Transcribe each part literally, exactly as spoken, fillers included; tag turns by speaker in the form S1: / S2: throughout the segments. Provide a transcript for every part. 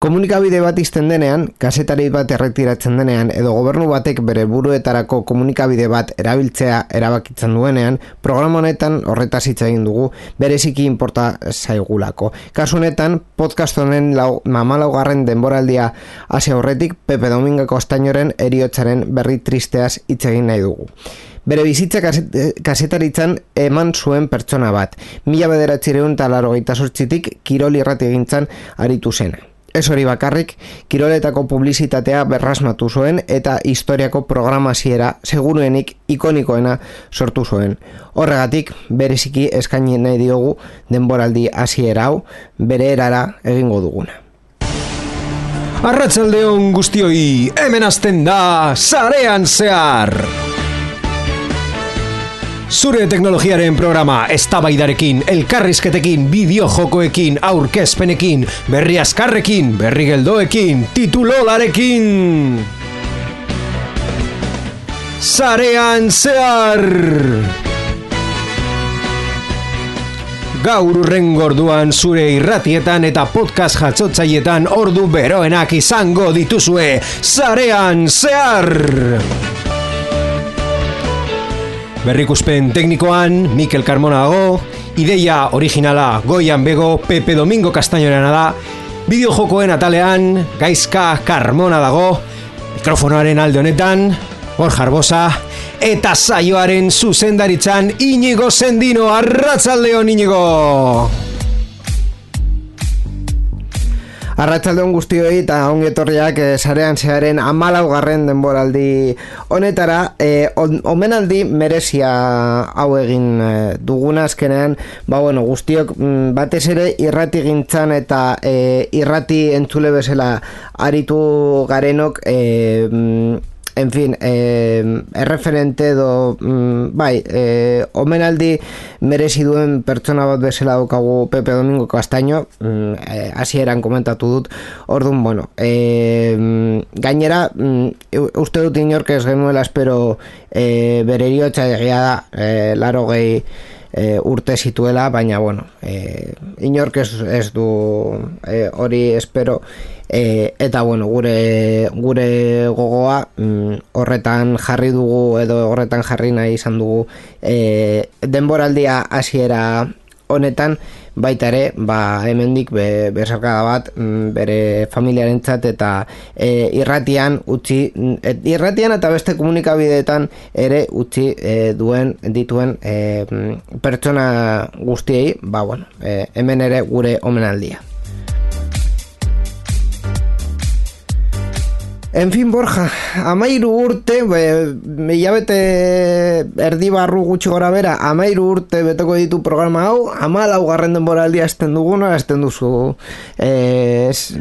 S1: Komunikabide bat izten denean, kazetari bat erretiratzen denean, edo gobernu batek bere buruetarako komunikabide bat erabiltzea erabakitzen duenean, programa honetan horretaz hitz egin dugu, bereziki inporta zaigulako. Kasu honetan, podcast honen lau, mamalaugarren denboraldia hasi aurretik, Pepe Domingo Castañoren heriotzaren berri tristeaz hitz egin nahi dugu. Bere bizitza kazetaritzan eman zuen pertsona bat, mila bederatziehun eta laurogeita zortzitik kirol irratigintzan aritu zena. Ez hori bakarrik, kiroletako publizitatea berrasmatu zuen eta historiako programaziera seguruenik ikonikoena sortu zuen. Horregatik, bereziki eskaini nahi diogu denboraldi hasiera hau, bere erara egingo duguna.
S2: Arratsaldeon guztioi, hemen hasten da Sarean Zehar! Zure teknologiaren programa eztabaidarekin, elkarrizketekin, bideojokoekin, aurkezpenekin, berri azkarrekin, berri geldoekin, titulolarekin. Sarean Zehar! Gaur urrengo orduan zure irratietan eta podcast jatzotzaietan ordu beroenak izango dituzue. Sarean Zehar! Berrikuspen teknikoan Mikel Carmona dago, ideia originala Goian Bego, Pepe Domingo Castañorena da, bideojokoen atalean Gaizka Carmona dago, mikrofonoaren alde honetan Borja Arbosa, eta saioaren zuzendaritzan Iñigo Sendino. Arratsaldeon, Iñigo!
S1: Arratsaldeon guztioi eta ongi etorriak eh, Sarean Zeharren hamalaugarren denboraldi honetara, eh, on, omenaldi merezia hau egin eh, duguna azkenean, ba bueno, guztiok mm, batez ere irrati gintzan eta eh, irrati entzule bezala aritu garenok, eh, mm, en fin, eh, erreferente edo mm, bai, eh, omenaldi merezi duen pertsona bat bezala daukagu Pepe Domingo Castaño, mm, eh, hasieran komentatu dut. Orduan, bueno, eh, gainera mm, uste dut inork ez genuela espero eh, bere heriotza egia da, eh, larogei E, urte zituela, baina bueno, e, inork ez, ez du hori e, espero, e, eta bueno, gure gure gogoa mm, horretan jarri dugu edo horretan jarri nahi izan dugu e, denboraldia hasiera honetan, baita ere, ba, hemendik be, bezarkada bat mm, bere familiarentzat eta e, irratian utzi, et, irratian eta beste komunikabideetan ere utzi e, duen dituen e, pertsona guztiei, ba bueno, e, hemen ere gure omenaldia. En fin, Borja, amairu urte, hilabete erdi barru gutxi gora bera, amairu urte beteko ditu programa hau, hamalaugarren denboraldia hasten duguna, hasten duzu eh, es,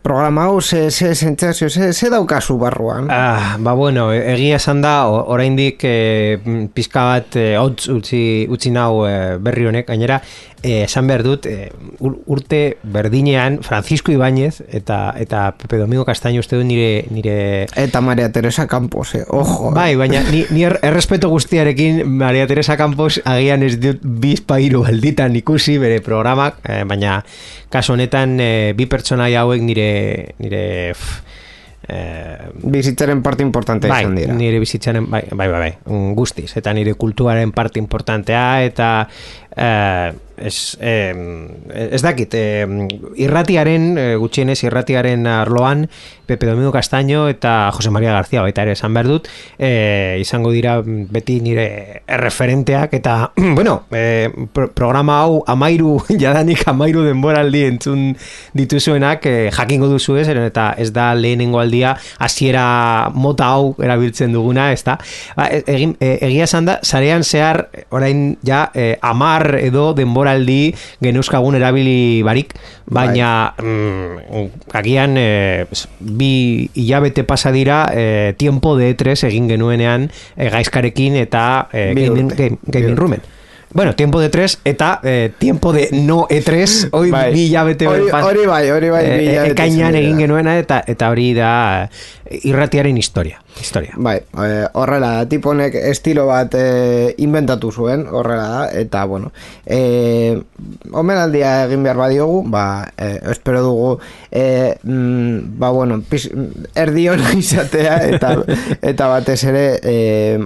S1: programa hau, ze, ze sentsazio, ze, ze daukazu barruan?
S2: Ah, ba bueno, egia esan da, oraindik eh, pizka bat eh, hotz utzi, utzi nau eh, berri honek, gainera, eh, esan behar dut, eh, urte berdinean Francisco Ibáñez eta, eta Pepe Domingo Castaño uste du nire nire
S1: eta Maria Teresa Campos, eh, ojo.
S2: Bai, baina ni, ni errespeto guztiarekin Maria Teresa Campos agian ez dut bizpairu alditan ikusi bere programak, eh, baina kasu honetan eh, bi pertsonaia hauek nire nire
S1: eh, bizitzaren parte importantea
S2: bai,
S1: izan dira.
S2: Nire bizitzaren bai, bai, bai, bai, guztiz, eta nire kulturaren parte importantea eta eh, Ez, eh, ez dakit, eh, irratiaren, eh, gutxienez irratiaren arloan Pepe Domingo Castaño eta Jose María García baita ere esan behar dut, eh, izango dira beti nire erreferenteak eta, bueno, eh, pro- programa hau amairu, jadanik amairu denboraldi entzun dituzuenak eh, jakingo duzu ez, eta ez da lehenengo aldia hasiera mota hau erabiltzen duguna, ez da. Ba, egin, eh, egia esan da, Sarean Zehar orain ja eh, amar edo denbora aldi geneuskagun erabili barik, baina mm, agian e, bi hilabete pasa dira e, tiempo de E tres egin genuenean e, Gaizkarekin eta e, Gaming, game, gaming Roomen. Bueno, tiempo de tres eta eh, tiempo de no E tres hori bai. Bi hilabete
S1: hori, hori bai, hori bai
S2: e, ekainan egin genuena eta eta hori da irratiaren historia. Historia.
S1: Bai, e, horrela, tiponek estilo bat e, inventatu zuen, horrela da, eta, bueno, e, omenaldia egin behar badiogu, ba, e, espero dugu, e, mm, ba, bueno, pis, erdi hona izatea, eta, eta batez ere, e,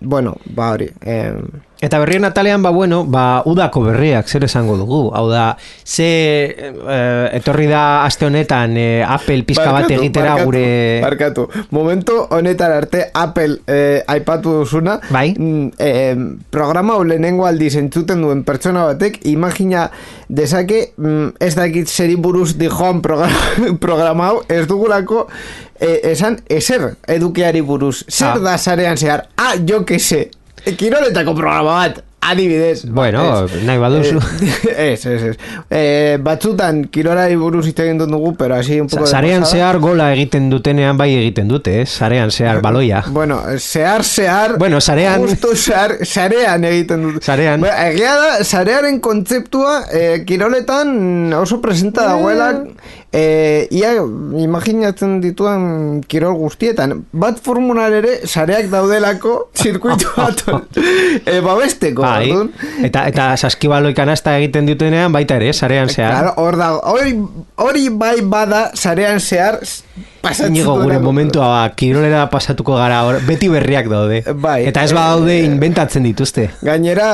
S1: bueno, ba, hori, e,
S2: eta berrien atalean, ba, bueno, ba, udako berriak, zer esango dugu. Hau da, ze eh, etorri da aste honetan eh, Apple pizka bat egitera
S1: barkatu,
S2: gure...
S1: Barkatu, momento honetan arte Apple eh, aipatu duzuna,
S2: bai?
S1: Mm, eh, programa hau lehenengo aldiz entzuten duen pertsona batek, imagina dezake, mm, ez dakit zeri buruz dijoan programa, programa hau, ez dugulako eh, esan ezer edukiari buruz. Zer
S2: ah.
S1: da sarean zehar? Ah, jo que se. Kiroletako programa bat, adibidez.
S2: Bueno,
S1: es,
S2: nahi baduzu.
S1: Ez, ez, ez. Eh, batzutan kirolari buruz hitz egin dut dugu, pero así un poco de
S2: Sarean
S1: pasada.
S2: zehar gola egiten dutenean bai egiten dute, eh? Sarean zehar baloia.
S1: Bueno, zehar, zehar...
S2: Bueno, sarean...
S1: Justo zehar, sarean egiten dute.
S2: Sarean.
S1: Bueno, egia da, sarearen kontzeptua eh, kiroletan oso presenta dagoela... E, ia imaginatzen dituan kirol guztietan bat formular ere sareak daudelako zirkuitu bat e, babesteko
S2: bai. eta, eta saskibaloi kanasta egiten dutenean baita ere, sarean zehar
S1: claro, hor da, hori, hori bai bada sarean zehar pasatzen
S2: Inigo, gure
S1: duena.
S2: momentua ba, kirolera pasatuko gara or, beti berriak daude
S1: bai,
S2: eta ez badaude e, inventatzen dituzte
S1: gainera,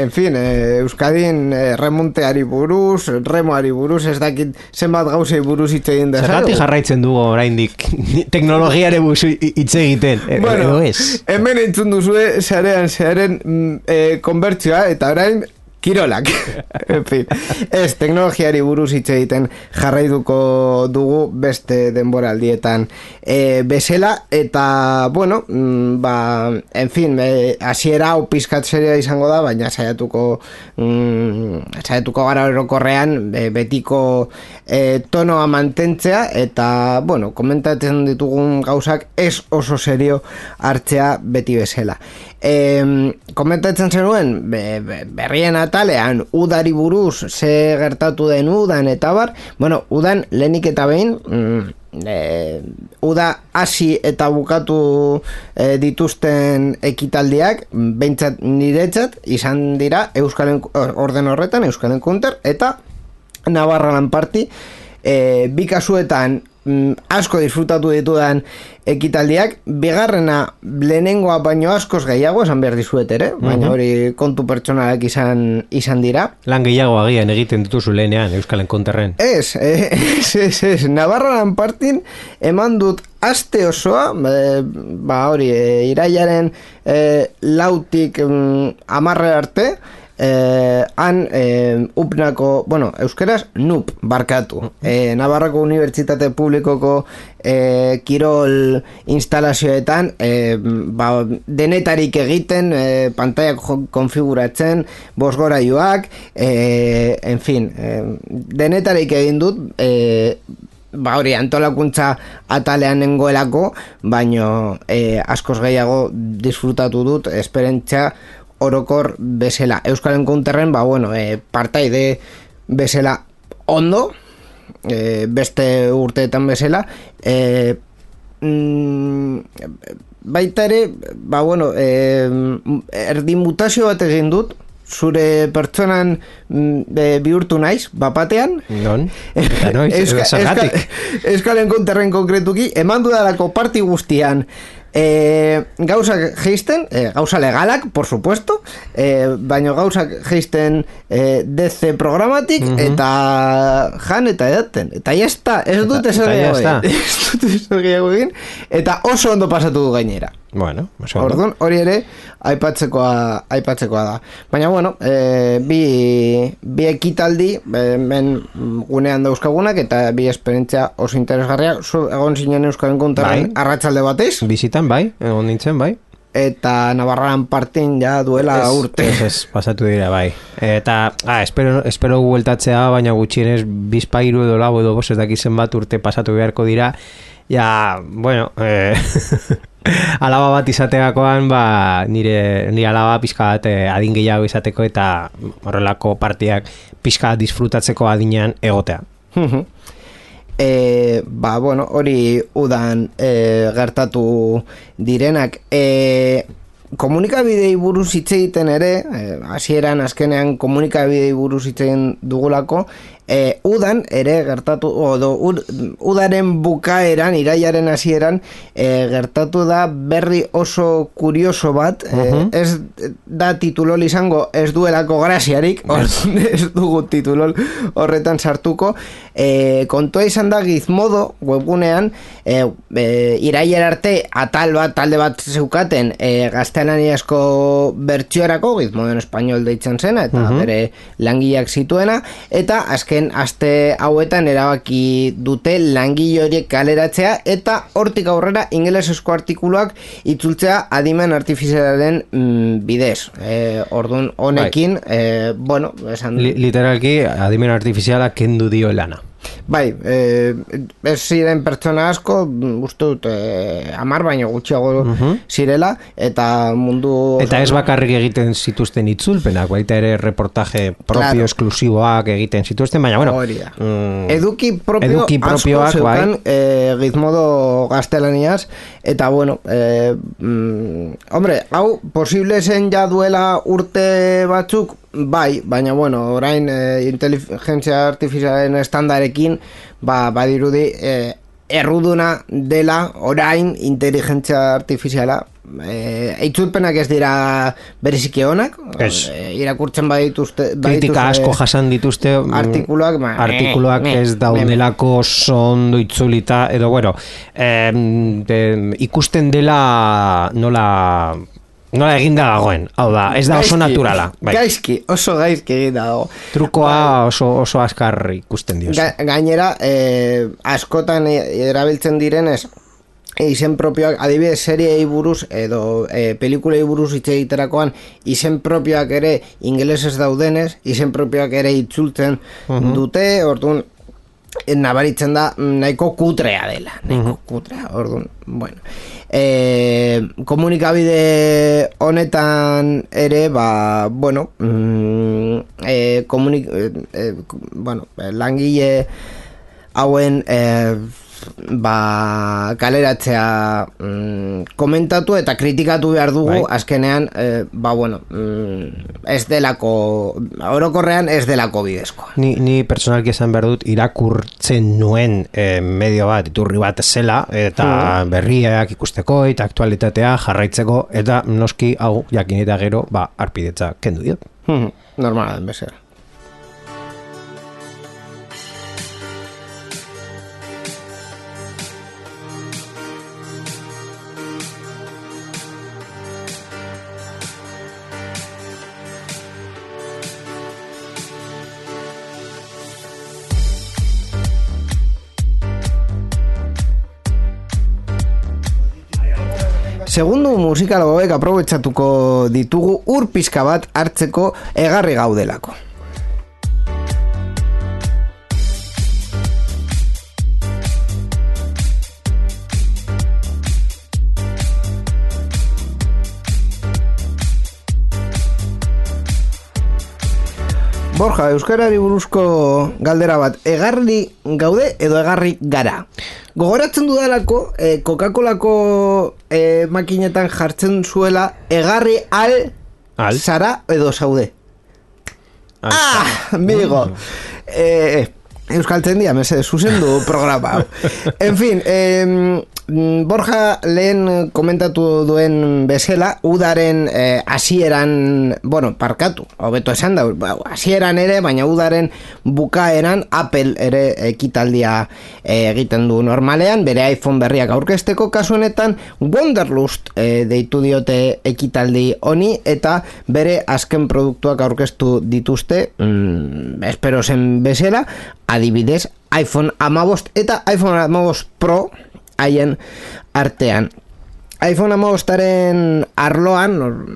S1: en fin eh, Euskadin eh, remonteari buruz remoari buruz, ez dakit zenbat gauzei buruz hitz egin da.
S2: Zergatik jarraitzen dugu oraindik teknologiare buruz hitz egiten.
S1: Bueno,
S2: edo ez.
S1: Hemen entzun duzue sarean zearen e, konbertsioa eta orain kirolak. En fin, ez teknologiari buruz hitz egiten jarraituko dugu beste denboraldietan e, bezala eta bueno, ba, en fin, e, hasiera hau pizkat seria izango da, baina saiatuko mm, saiatuko gara orokorrean e, betiko e, tonoa mantentzea eta bueno, komentatzen ditugun gauzak ez oso serio hartzea beti bezala. E, komentatzen zenuen be, be, berrien atalean udari buruz ze gertatu den udan eta bar, bueno, udan lehenik eta behin mm, e, uda hasi eta bukatu e, dituzten ekitaldiak behintzat niretzat izan dira Euskalen orden horretan Euskalen Counter eta Navarra Lan Party e, bi kasuetan mm, asko disfrutatu ditudan ekitaldiak, bigarrena lehenengoa baino askoz gehiago esan behar dizuet ere, baina
S2: uh-huh.
S1: hori kontu pertsonalak izan izan dira.
S2: Lan gehiago agian egiten dituzu lehenean Euskalen Konterren.
S1: Ez, ez, ez, ez. Navarra Lan Partin eman dut aste osoa, e, ba hori, e, irailaren e, lautik mm, amarre arte, Eh, han eh, upnako, bueno, euskeraz nup barkatu eh, Navarrako Unibertsitate Publikoko eh, kirol instalazioetan eh, ba, denetarik egiten eh, pantaiak konfiguratzen bosgoraiuak eh, en fin eh, denetarik egin dut eh, ba hori antolakuntza atalean nengoelako baino eh, askoz gehiago disfrutatu dut esperientzia orokor bezala. Euskalen Counterren, ba, bueno, e, partaide bezala ondo, e, beste urteetan bezala, e, mm, baita ere, ba, bueno, e, erdi mutazio bat egin dut, zure pertsonan e, bihurtu naiz, bapatean.
S2: Non? Eta noiz,
S1: Euska,
S2: zergatik.
S1: Euska, Euskalen Counterren konkretuki, eman dudalako parti guztian, E, gauzak geisten, e, gauza legalak, por supuesto, e, baina gauzak geisten e, D C programatik, uh-huh. eta jan eta edaten. Eta ya está, ez dut esan gehiago egin, eta oso ondo pasatu du gainera.
S2: Bueno, oso ondo.
S1: Orduan, hori ere, aipatzekoa, aipatzekoa da. Baina, bueno, e, bi, bi ekitaldi, men gunean dauzkagunak, eta bi esperientzia oso interesgarria, zu egon zinen Euskalen Counterren bai. Arratsalde batez.
S2: Bizitan, bai, egon nintzen, bai.
S1: Eta Navarran partin ja duela
S2: es,
S1: urte.
S2: Ez, ez, pasatu dira, bai. Eta, ah, espero, espero gueltatzea, baina gutxienez bizpairu edo lau edo bos ez dakizen bat urte pasatu beharko dira. Ja, bueno, eh, alaba bat izategakoan, ba, nire, nire alaba pizka bat adin gehiago izateko eta horrelako partiak pizka disfrutatzeko adinean egotea.
S1: e, ba, bueno, hori udan e, gertatu direnak. E, komunikabidei buruz hitz egiten ere, hasieran azkenean komunikabidei buruz hitz egin dugulako, e, udan ere gertatu, odo, ud, udaren bukaeran, iraiaren hasieran, e, gertatu da berri oso kurioso bat, uh-huh. e, ez da titulol izango, ez duelako graziarik, ez dugu titulol horretan sartuko, e, kontua izan da Gizmodo webgunean, e, e, iraier arte atal bat, talde bat zeukaten, e, gaztelaniazko bertsiorako, Gizmodo en espainol deitzen zena, eta uh-huh. bere langileak zituena, eta azken aste hauetan erabaki dute langile horiek kaleratzea eta hortik aurrera ingelesezko artikuluak itzultzea adimen artifizialaren mm, bidez. E, Ordun honekin, e, bueno, esan...
S2: Li, literalki adimen artifiziala kendu dio lana.
S1: Bai, eh, ez ziren pertsona asko, uste dut, eh, amar baino gutxiago uh-huh. zirela, eta mundu...
S2: Eta ez bakarrik egiten zituzten itzulpenak, baita ere reportaje propio, claro. Esklusiboak egiten zituzten, baina, bueno...
S1: Mm, eduki propio eduki asko zeukan bai. eh, Gizmodo gaztelaniaz, eta, bueno, eh, mm, hombre, hau, posible zen ja duela urte batzuk, bai, baina bueno, orain e, inteligentzia artifizialen estandarekin ba, badirudi e, erruduna dela orain inteligentzia artifiziala e, eitzulpenak ez dira bereziki onak e, irakurtzen badituzte, badituzte
S2: kritika asko jasan dituzte
S1: artikuluak ma,
S2: artikuluak me, me, ez daudelako ondo itzulita edo bueno eh, de, ikusten dela nola nola eginda dagoen, hau da, ez da oso naturala.
S1: Bai. Gaizki, oso gaizki eginda dago.
S2: Trukoa oso, oso askar ikusten dioz.
S1: Ga, gainera, eh, askotan erabiltzen direnez, izen propioak, adibidez, seriei buruz edo e, pelikulei buruz hitz egiterakoan izen propioak ere ingelesez daudenez, izen propioak ere itzultzen uh-huh. dute, orduan, nabaritzen da nahiko kutrea dela nahiko uh-huh. kutrea, orduan bueno e, komunikabide honetan ere ba, bueno mm, e, komunik e, bueno, langile hauen e, ba, kaleratzea mm, komentatu eta kritikatu behar dugu bai. Azkenean eh, ba bueno mm, ez delako orokorrean ez delako bidezkoa.
S2: Ni, ni personalki esan behar dut irakurtzen nuen eh, medio bat, iturri bat zela eta mm. berriak ikusteko eta aktualitatea jarraitzeko eta noski hau jakin eta gero ba, arpidetza kendu diot.
S1: Mm. Normala den bezala. Segundu musikal hauek aprobetxatuko ditugu ur pizka bat hartzeko egarri gaudelako. Borja, euskarari buruzko galdera bat, egarri gaude edo egarri gara? Gogoratzen dudalako, eh, Coca-Colako eh, makinetan jartzen zuela egarri al, al? Zara edo zaude. Al ah, amigo. Eh, Euskaltzen dia, mese, zuzendu programa. En fin, eh, Borja lehen komentatu duen bezala, udaren hasieran, eh, bueno, parkatu, hobeto esan da, hasieran ere, baina udaren bukaeran Apple ere ekitaldia eh, egiten du normalean, bere iPhone berriak aurkezteko kasu honetan, Wonderlust eh, deitu diote ekitaldi honi, eta bere azken produktuak aurkeztu dituzte, mm, espero zen bezala, adibidez, iPhone hamabost eta iPhone hamabost Pro haien artean. iPhone hamabostaren arloan,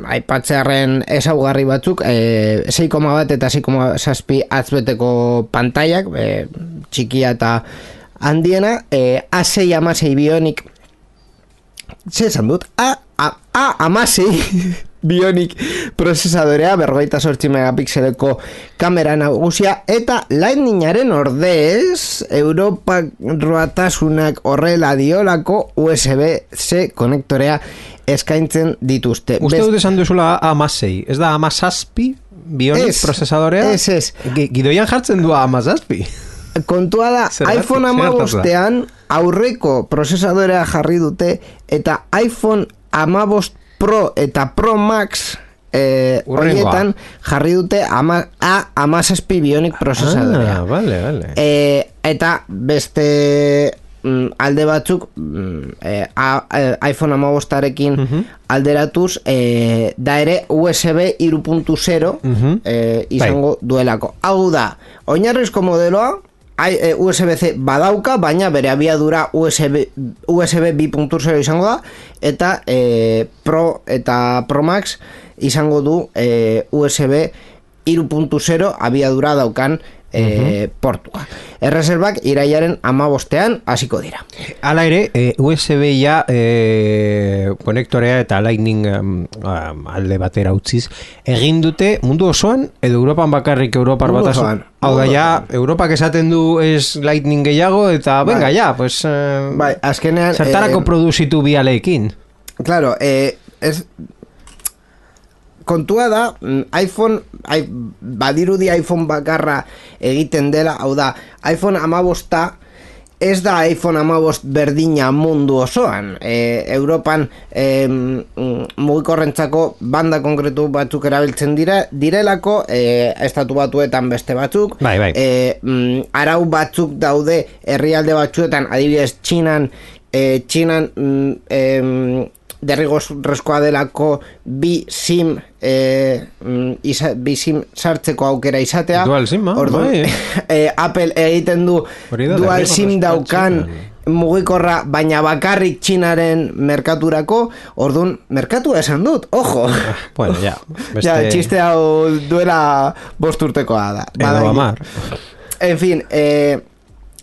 S1: aipatzearen ezaugarri batzuk, e, sei koma bat eta sei koma zazpi atzbeteko pantaiak, e, txikia eta handiena, e, A sei amasei Bionic, ze esan dut? A, a, a amasei Bionic prozesadorea, berrogeita zortzi megapixeleko kamera nagusia, eta Lightningaren ordez, Europa roatasunak horrela diolako U S B-C konektorea eskaintzen dituzte.
S2: Uste dut esan duzula amasei, ez da amasazpi Bionic prozesadorea?
S1: Ez, ez.
S2: Gidoian jartzen du amasazpi.
S1: Kontua da, Zergatik, iPhone hamabostean aurreko prozesadorea jarri dute, eta iPhone hamabost Pro eta Pro Max eh, horietan jarri dute ama, a amazazpi Bionic prozesadorea.
S2: Ah, vale, vale.
S1: Eh, eta beste mm, alde batzuk mm, eh, a, eh, iPhone hamabostarekin uh-huh. alderatuz eh, da ere U S B hiru puntu zero uh-huh. eh, izango Bai. duelako. Hau da, oinarrizko modeloa U S B-C badauka, baina bere abiadura U S B, U S B bi puntu zero izango da, eta e, Pro eta Pro Max izango du e, U S B hiru puntu zero abiadura daukan e, uh-huh. portua. Erreserbak irailaren hamabostean hasiko dira.
S2: Hala ere, e, U S B ja e, konektorea eta Lightning um, alde batera utziz, egin dute mundu osoan, edo Europan bakarrik Europar batasun. Hau da, ja, Europak esaten du es Lightning gehiago, eta bai. venga, ja, pues... Eh,
S1: bai, azkenean...
S2: Zertarako eh, produzitu bialeekin.
S1: Claro, eh, es... Kontua da, iPhone, I, badirudi iPhone bakarra egiten dela, hau da, iPhone hamabosta ez da iPhone hamabost berdina mundu osoan. E, Europan e, mugikorrentzako banda konkretu batzuk erabiltzen dira, direlako, e, estatu batuetan beste batzuk,
S2: bai, bai.
S1: E, mm, arau batzuk daude herrialde batzuetan, adibidez Txinan, e, Txinan mm, e, derrigorrezkoa delako bi sim eh, isa, bi sim sartzeko aukera izatea.
S2: Dual sim,
S1: Orduan,
S2: bai.
S1: eh, Apple egiten du dual sim daukan mugikorra, baina bakarrik Txinaren merkaturako. Orduan, merkatua esan dut, ojo.
S2: Bueno, ja.
S1: Beste... Ja, txiste hau duela bost urtekoa da.
S2: Edo amar.
S1: En fin, eh,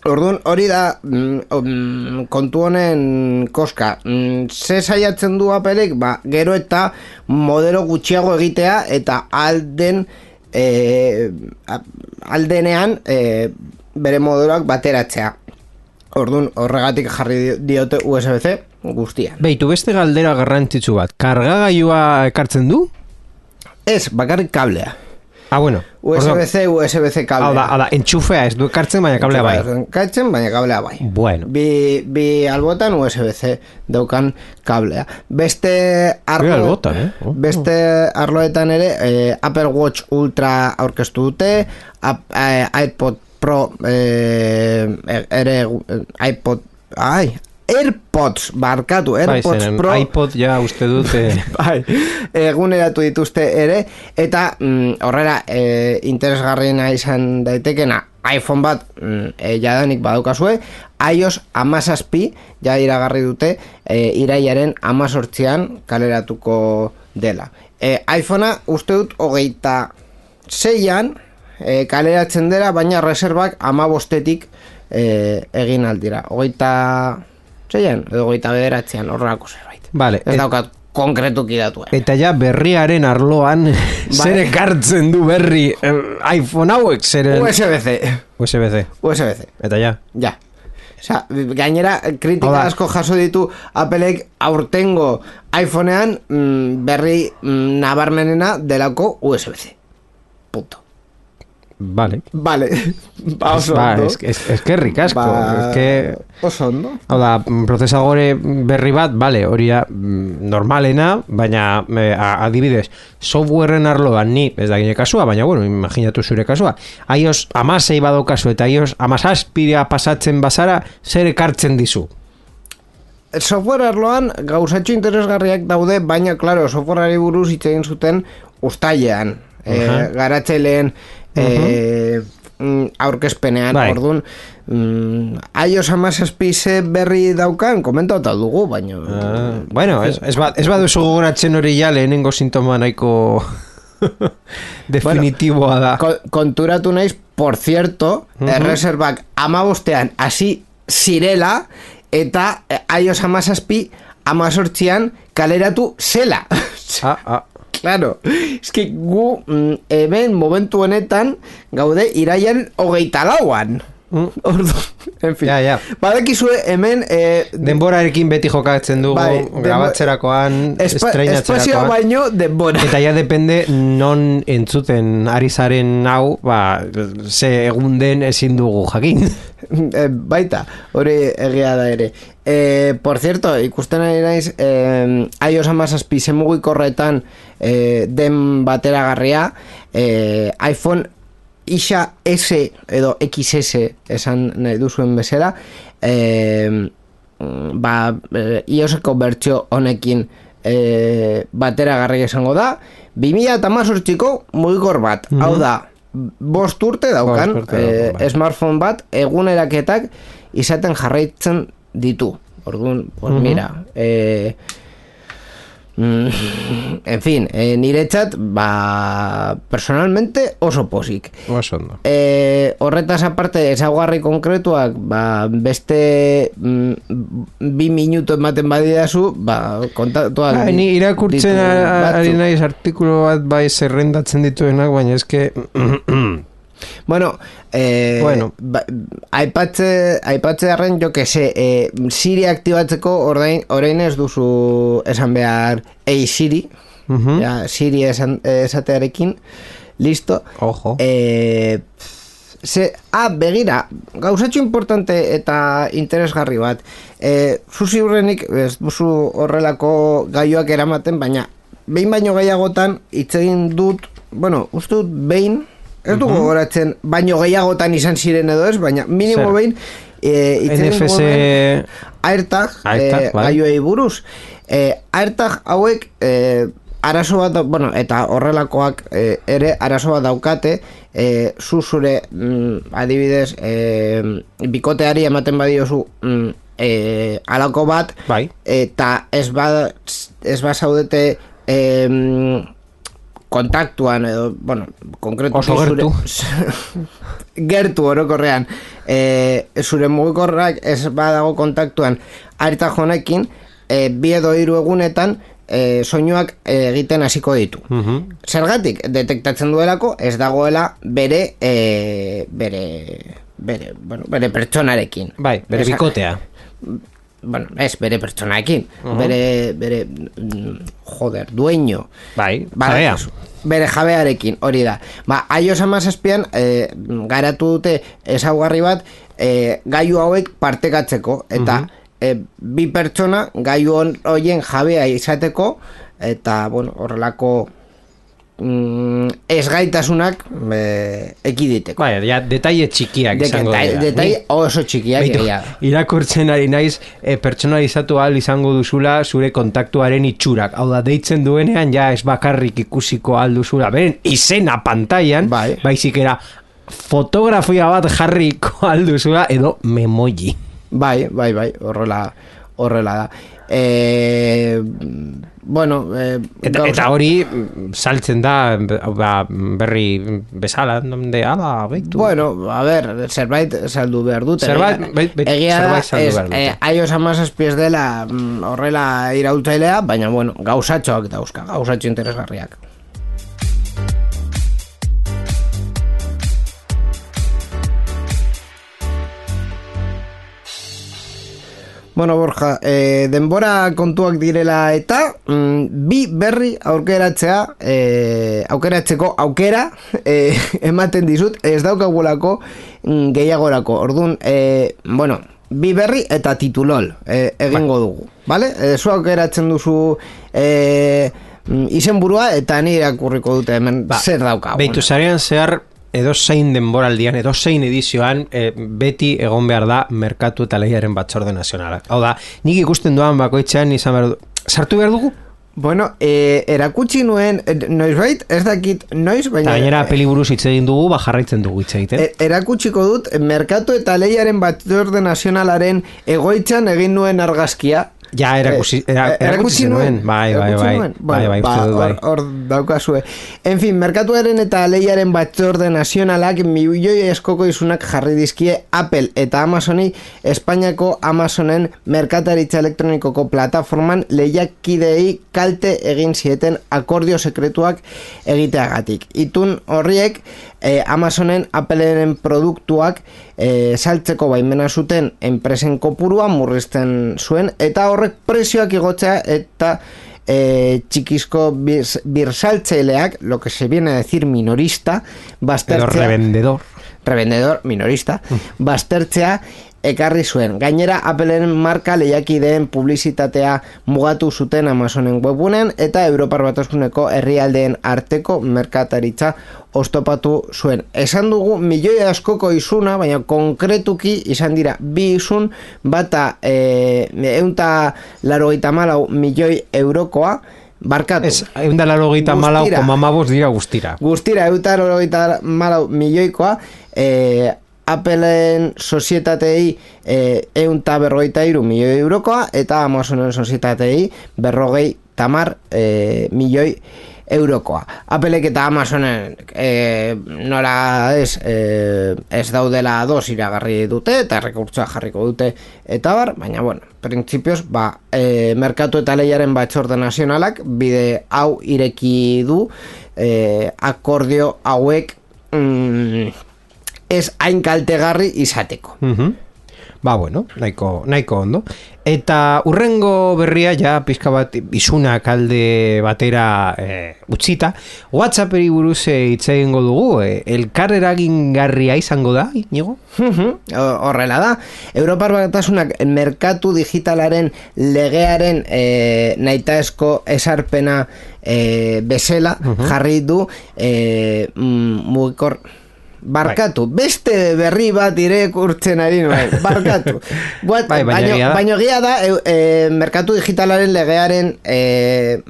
S1: orduan, hori da mm, kontu honen koska. Mm, ze saiatzen du Appleek, ba, gero eta modelo gutxiago egitea, eta alden e, aldenean e, bere modeloak bateratzea. Orduan, horregatik jarri diote U S B-C guztian.
S2: Beitu, beste galdera garrantzitsu bat. Kargagailua ekartzen du?
S1: Ez, bakarrik kablea.
S2: Ah, bueno.
S1: U S B-C, U S B-C kablea.
S2: Hau da, hau da, entxufea ez du ekartzen, baina kablea bai.
S1: Ekartzen, baina kablea bai.
S2: Bueno.
S1: Bi, bi albotan U S B-C daukan kablea. Beste arlo,
S2: albotan, eh? Oh.
S1: Beste arloetan ere, eh, Apple Watch Ultra aurkeztu dute, ap, eh, iPod Pro, eh, ere iPod, ai, AirPods, barkatu, AirPods
S2: bai,
S1: Pro
S2: iPod ja uste dute
S1: bai, eguneratu dituzte ere, eta mm, horrela e, interesgarriena izan daitekena iPhone bat mm, e, jadanik badaukazue, iOS hamazazpi ja iragarri dute e, irailaren hamazortzian kaleratuko dela. E, iPhonea uste dut hogeita zeian e, kaleratzen dela, baina reservak hamabostetik e, egin aldira. Hogeita zeian, edo goita bederatzean, horrelako zerbait.
S2: Vale,
S1: ez daukat konkretuki datu.
S2: Eta ja berriaren arloan zer ekartzen du berri eh, iPhone hauek zeren...
S1: U S B-C.
S2: U S B-C.
S1: U S B-C.
S2: Eta ja.
S1: Ja. Osa, gainera, kritika asko jaso ditu Appleek aurtengo iPhonean mm, berri mm, nabarmenena delako U S B-C. Punto.
S2: Vale.
S1: Vale. Ba, oso
S2: ba,
S1: ondo.
S2: Es, es, es que ricasco.
S1: Ba,
S2: es que...
S1: Oso ondo.
S2: Hau da, prozesadore berri bat, vale, hori da normalena, baina eh, adibidez, softwareen arloan ni, ez da gine kasua, baina bueno, imaginatu zure kasua, iOS amasei bado kasu eta iOS amazazpira pasatzen bazara, zer ekartzen dizu?
S1: Software arloan gauzatxo interesgarriak daude, baina, klaro, softwareari buruz hitz egin zuten ustailean. Uh-huh. E, garatzaileen e, uh-huh. aurkezpenean, bai. Orduan mm, iOS hamazazpi ze berri daukan komentatu dugu, baina
S2: uh, bueno, ez, ez, ba, ez baduzu gogoratzen hori ja lehenengo sintoma nahiko definitiboa da.
S1: Bueno, konturatu naiz, por cierto, uh-huh. erreserbak hamabostean hasi zirela eta iOS hamazazpi hamazortzian kaleratu zela.
S2: Ah, ah.
S1: Claro, eski gu mm, hemen momentu honetan gaude iraian hogeita lauan. Mm. Ordu, en fin.
S2: Ja, ja.
S1: Badakizue hemen... Eh,
S2: denborarekin beti jokatzen dugu, bai, grabatzerakoan,
S1: espa,
S2: estreinatzerakoan.
S1: Espazioa baino denbora.
S2: Eta ja depende non entzuten ari zaren hau, ba, ze egun den ezin dugu jakin.
S1: Eh, baita, hori egia da ere. Eh, por cierto, ikusten ari naiz, eh, iOS hamazazpi zemugikorretan eh, den bateragarria, eh, iPhone Isa S edo X S esan nahi duzuen bezala, eh, ba, eh, iOSeko bertsio honekin eh, bateragarria izango da, bi mila hemezortziko mugikor bat, mm-hmm. hau da, bost urte daukan, bost urte eh, daukan, smartphone bat eguneraketak izaten jarraitzen ditu. Orduan, pues mm-hmm. mira, eh, mm, en fin, eh, niretzat, ba, personalmente oso posik.
S2: Oso ondo.
S1: Eh, horretaz aparte, ezaugarri konkretuak, ba, beste mm, bi minuto ematen badidazu, ba, kontatuak.
S2: Ba, ni irakurtzen ari naiz artikulu bat bai zerrendatzen dituenak, baina eske...
S1: Bueno, eh, bueno. Ba, aipatze, aipatze arren, jo que se, eh, Siri aktibatzeko orain, orain ez duzu esan behar Ei Siri, uh-huh. ja, Siri esan, esatearekin, listo.
S2: Ojo.
S1: Eh, ze, ah, begira, gauzatxo importante eta interesgarri bat. Eh, zuzi hurrenik, ez duzu horrelako gaioak eramaten, baina behin baino gehiagotan hitz egin dut, bueno, uste dut behin, ez dugu uh-huh. goratzen, baino gehiagotan izan ziren edo ez, baina minimo behin e,
S2: N F C
S1: AirTag, AirTag e, gaioei buruz. E, AirTag hauek e, arazo bat, bueno, eta horrelakoak e, ere arazo bat daukate, e, zu zure mm, adibidez e, bikoteari ematen badiozu mm, e, alako bat,
S2: bai.
S1: Eta ez ba, ez ba zaudete e, kontaktuan edo, bueno, konkretu
S2: oso gertu
S1: gertu orokorrean e, zure mugikorrak ez badago kontaktuan AirTag honekin, e, bi edo hiru egunetan e, soinuak egiten hasiko ditu. Uh-huh. Zergatik detektatzen duelako ez dagoela bere e, bere bere, bueno, bere pertsonarekin.
S2: Bai, bere Esa, bikotea.
S1: Bueno, ez, bere pertsonaekin, uh-huh. bere, bere, joder, dueño.
S2: Bai,
S1: jabea. Bere jabearekin, hori da. Ba, iOS hamazazpian, e, garatu dute ezaugarri bat, e, gailu hauek partekatzeko, eta uh-huh. e, bi pertsona gailu horien jabea izateko, eta, bueno, horrelako mm, ezgaitasunak e, ekiditeko.
S2: Bai, ja, detaile txikiak de, izango dira.
S1: Detaile oso txikiak.
S2: Beitu, irakurtzen ari naiz, e, pertsonalizatu ahal izango duzula zure kontaktuaren itxurak. Hau da, deitzen duenean, ja ez bakarrik ikusiko ahal duzula. Beren, izena pantailan, bai. Baizik era fotografia bat jarriko ahal duzula, edo memoji.
S1: Bai, bai, bai, horrela, horrela da. Eh, bueno, eh,
S2: eta, eta hori saltzen da ba, berri bezala de ala, beitu.
S1: Bueno, a ver, zerbait saldu behar dute.
S2: Zerbait, beit, beit,
S1: egia da, ez, eh, iOS hamazazpi ez dela horrela iraultzailea, baina bueno, gauzatxoak dauzka, gauzatxo interesgarriak. Bueno, Borja, eh, denbora kontuak direla eta mm, bi berri aukeratzea, eh, aukeratzeko aukera eh, ematen dizut, ez daukagulako mm, gehiagorako. Orduan, eh, bueno, bi berri eta titulol eh, egingo dugu, vale? Eh, zu aukeratzen duzu eh, izenburua eta ni irakurriko dute hemen ba, zer daukagun.
S2: Beitu zarean zehar edo zein denboraldian, edo zein edizioan e, beti egon behar da Merkatu eta Lehiaren Batzorde Nazionalak. Hau da, nik ikusten duan bakoitzean izan behar du... Sartu behar dugu?
S1: Bueno, e, erakutsi nuen, e, noiz bait, ez dakit noiz, baina...
S2: Ta gainera peliburuz hitz egin dugu, ba jarraitzen dugu hitz egiten.
S1: E, erakutsiko dut, Merkatu eta Lehiaren Batzorde Nazionalaren egoitzan egin nuen argazkia.
S2: Ja, erakutsi, era, erakutsi nuen. Bai, bai, bai. Bai, bai, bai,
S1: ba, hor, hor daukazue. En fin, merkatuaren eta lehiaren batzorde nazionalak milioi eskoko izunak jarri dizkie Apple eta Amazoni Espainiako Amazonen merkataritza elektronikoko plataforman lehiakidei kalte egin zieten akordio sekretuak egiteagatik. Itun horriek eh, Amazonen Appleen produktuak eh, saltzeko baimena zuten enpresen kopurua murrizten zuen eta horrek prezioak igotzea eta eh, txikizko bir, birsaltzaileak, lo que se viene a decir minorista, baztertzea,
S2: edo revendedor
S1: revendedor minorista, baztertzea ekarri zuen. Gainera, Appleen marka lehiakideen publizitatea mugatu zuten Amazonen webunean eta Europar Batasuneko herrialdeen arteko merkataritza oztopatu zuen. Esan dugu milioi askoko izuna, baina konkretuki izan dira bi izun, bata e, eunta larogeita malau milioi eurokoa, barkatu.
S2: Ez, eunda larogeita malau koma mabos dira guztira.
S1: Guztira, eunda larogeita malau milioikoa, e, Appleen sozietatei e, eunta berrogeita iru milioi eurokoa eta Amazonen sozietatei berrogei tamar e, milioi eurokoa. Applek eta Amazonen e, nola ez, e, ez daudela dos iragarri dute eta rekurtsoa jarriko dute eta bar, baina bueno, printzipioz, ba, e, merkatu eta lehiaren batzorde nazionalak bide hau ireki du e, akordio hauek mm, ez hain kaltegarri izateko.
S2: Uh-huh. Ba, bueno, nahiko, nahiko ondo. Eta urrengo berria, ja, pizka bat izunak alde batera e, utzita, WhatsApperi buruz hitz egingo dugu, e, elkar eragingarria izango da, Iñigo?
S1: Uh-huh. Horrela da. Europar Batasunak merkatu digitalaren legearen e, nahitaezko esarpena e, bezala uh-huh. jarri du e, mugikor... Barkatu, bai. Beste berri bat irakurtzen ari nuen, barkatu. What,
S2: bai, baino,
S1: baino, baino gia da, e, e, merkatu digitalaren legearen, e,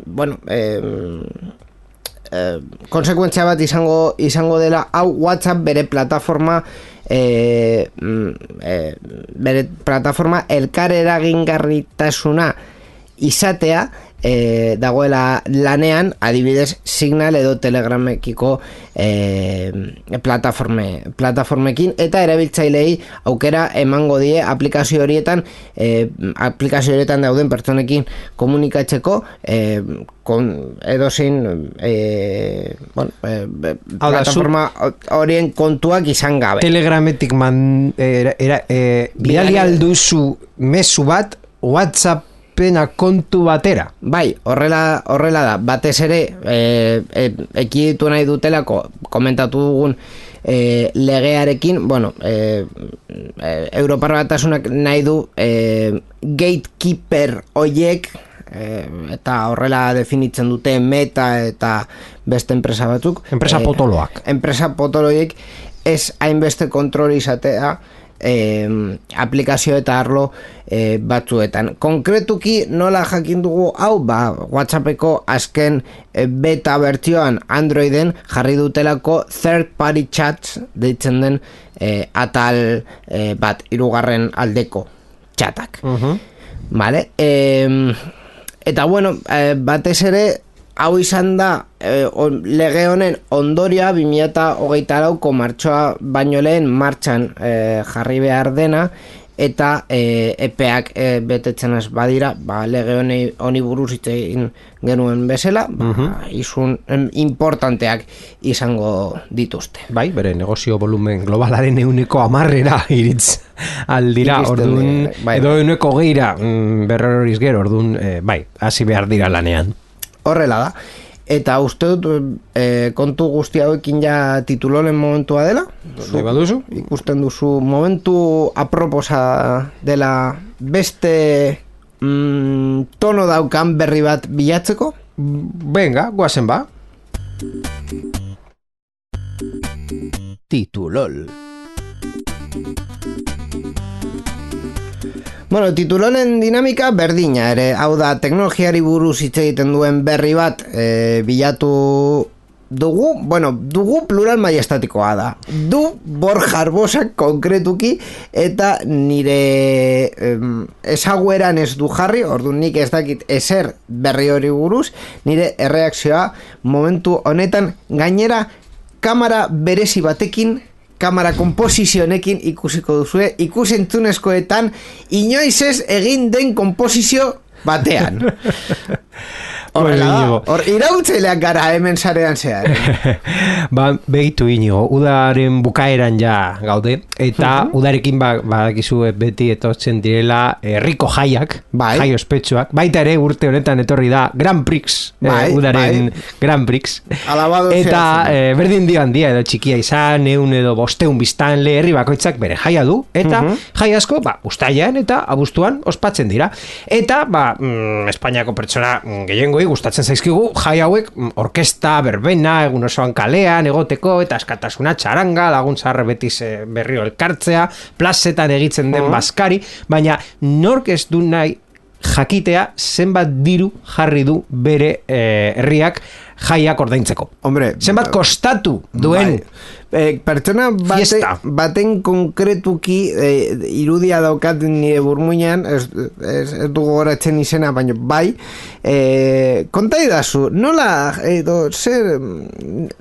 S1: bueno, e, e, konsekuentzia bat izango, izango dela, hau WhatsApp bere plataforma, e, e, bere plataforma elkar eragingarritasuna izatea, E, dagoela lanean adibidez Signal edo Telegramekiko e, plataforme, plataformekin eta erabiltzailei aukera emango die aplikazio horietan e, aplikazio horietan dauden pertsonekin komunikatzeko e, kon, edozein e, bueno, e, plataforma horien kontuak izan gabe.
S2: Telegrametik man, era, era, e, bidali alduzu mezu bat WhatsApp pena kontu batera.
S1: Bai, horrela, horrela da. Batez ere, e, e, ekiditu nahi dutelako, komentatu dugun e, legearekin, bueno, e, e, Europar Batasunak nahi du e, gatekeeper hoiek, e, eta horrela definitzen dute Meta eta beste enpresa batzuk.
S2: Enpresa e, potoloak.
S1: Enpresa potoloiek ez hainbeste kontrol izatea Eh, aplikazio eta arlo eh, batzuetan. Konkretuki nola jakin dugu hau, ba, WhatsAppeko azken eh, beta bertsioan Androiden jarri dutelako third party chats deitzen den eh, atal eh, bat hirugarren aldeko chatak. Uh-huh. Vale? Eh, eta bueno, eh, batez ere hau izan da e, on, lege honen ondorioa bi mila hogeita lauko martxoa baino lehen martxan e, jarri behar dena eta e, epeak e, betetzen ez badira, ba, lege honi, honi buruz hitz egin genuen bezala, ba, uh-huh. izun em, importanteak izango dituzte.
S2: Bai, bere negozio volumen globalaren euneko amarrera iritz aldira, orduan, bai, edo euneko geira mm, berroriz gero, orduan, e, bai, hasi behar dira lanean.
S1: Horrela da. Eta uste dut e, kontu guzti hauekin ja tituloren momentua dela.
S2: Zu, baduzu?
S1: Ikusten duzu momentu aproposa dela beste mm, tono daukan berri bat bilatzeko?
S2: Venga, guazen ba. Titulol.
S1: Bueno, titulonen dinamika berdina ere, hau da, teknologiari buruz hitz egiten duen berri bat e, bilatu dugu, bueno, dugu plural maiestatikoa da. Du Borja Arbosak konkretuki eta nire em, ezagueran ez du jarri, orduan nik ez dakit ezer berri hori buruz, nire erreakzioa momentu honetan gainera kamera berezi batekin, kamera komposizionekin ikusiko duzue, ikusentzunezkoetan inoiz ez egin den komposizio batean. Horrela da, hor iraultzaileak gara hemen sarean zehar.
S2: Ba, begitu inigo, udaren bukaeran ja gaude, eta uh-huh. udarekin ba, badakizu beti etortzen direla herriko jaiak,
S1: bai.
S2: jai ospetsuak, baita ere urte honetan etorri da Grand Prix,
S1: bai,
S2: eh, udaren
S1: bai.
S2: Grand Prix,
S1: Alabado
S2: eta eh, berdin dio handia edo txikia izan, eun edo bosteun biztanle, herri bakoitzak bere jaia du, eta uh-huh. jai asko, ba, ustailean eta abuztuan ospatzen dira. Eta, ba, mm, Espainiako pertsona gehiengo gustatzen zaizkigu jai hauek orkesta, berbena, egun osoan kalean egoteko eta askatasuna txaranga, lagun zaharre betiz berriro elkartzea, plazetan egitzen den bazkari, baina nork ez du nahi jakitea zenbat diru jarri du bere eh, herriak jaiak ordaintzeko.
S1: Hombre,
S2: zenbat kostatu duen
S1: eh, pertsona bate, baten konkretuki eh, irudia daukat nire burmuinean, ez, ez, ez dugu goratzen izena, baina bai, eh, konta idazu, nola, edo, zer,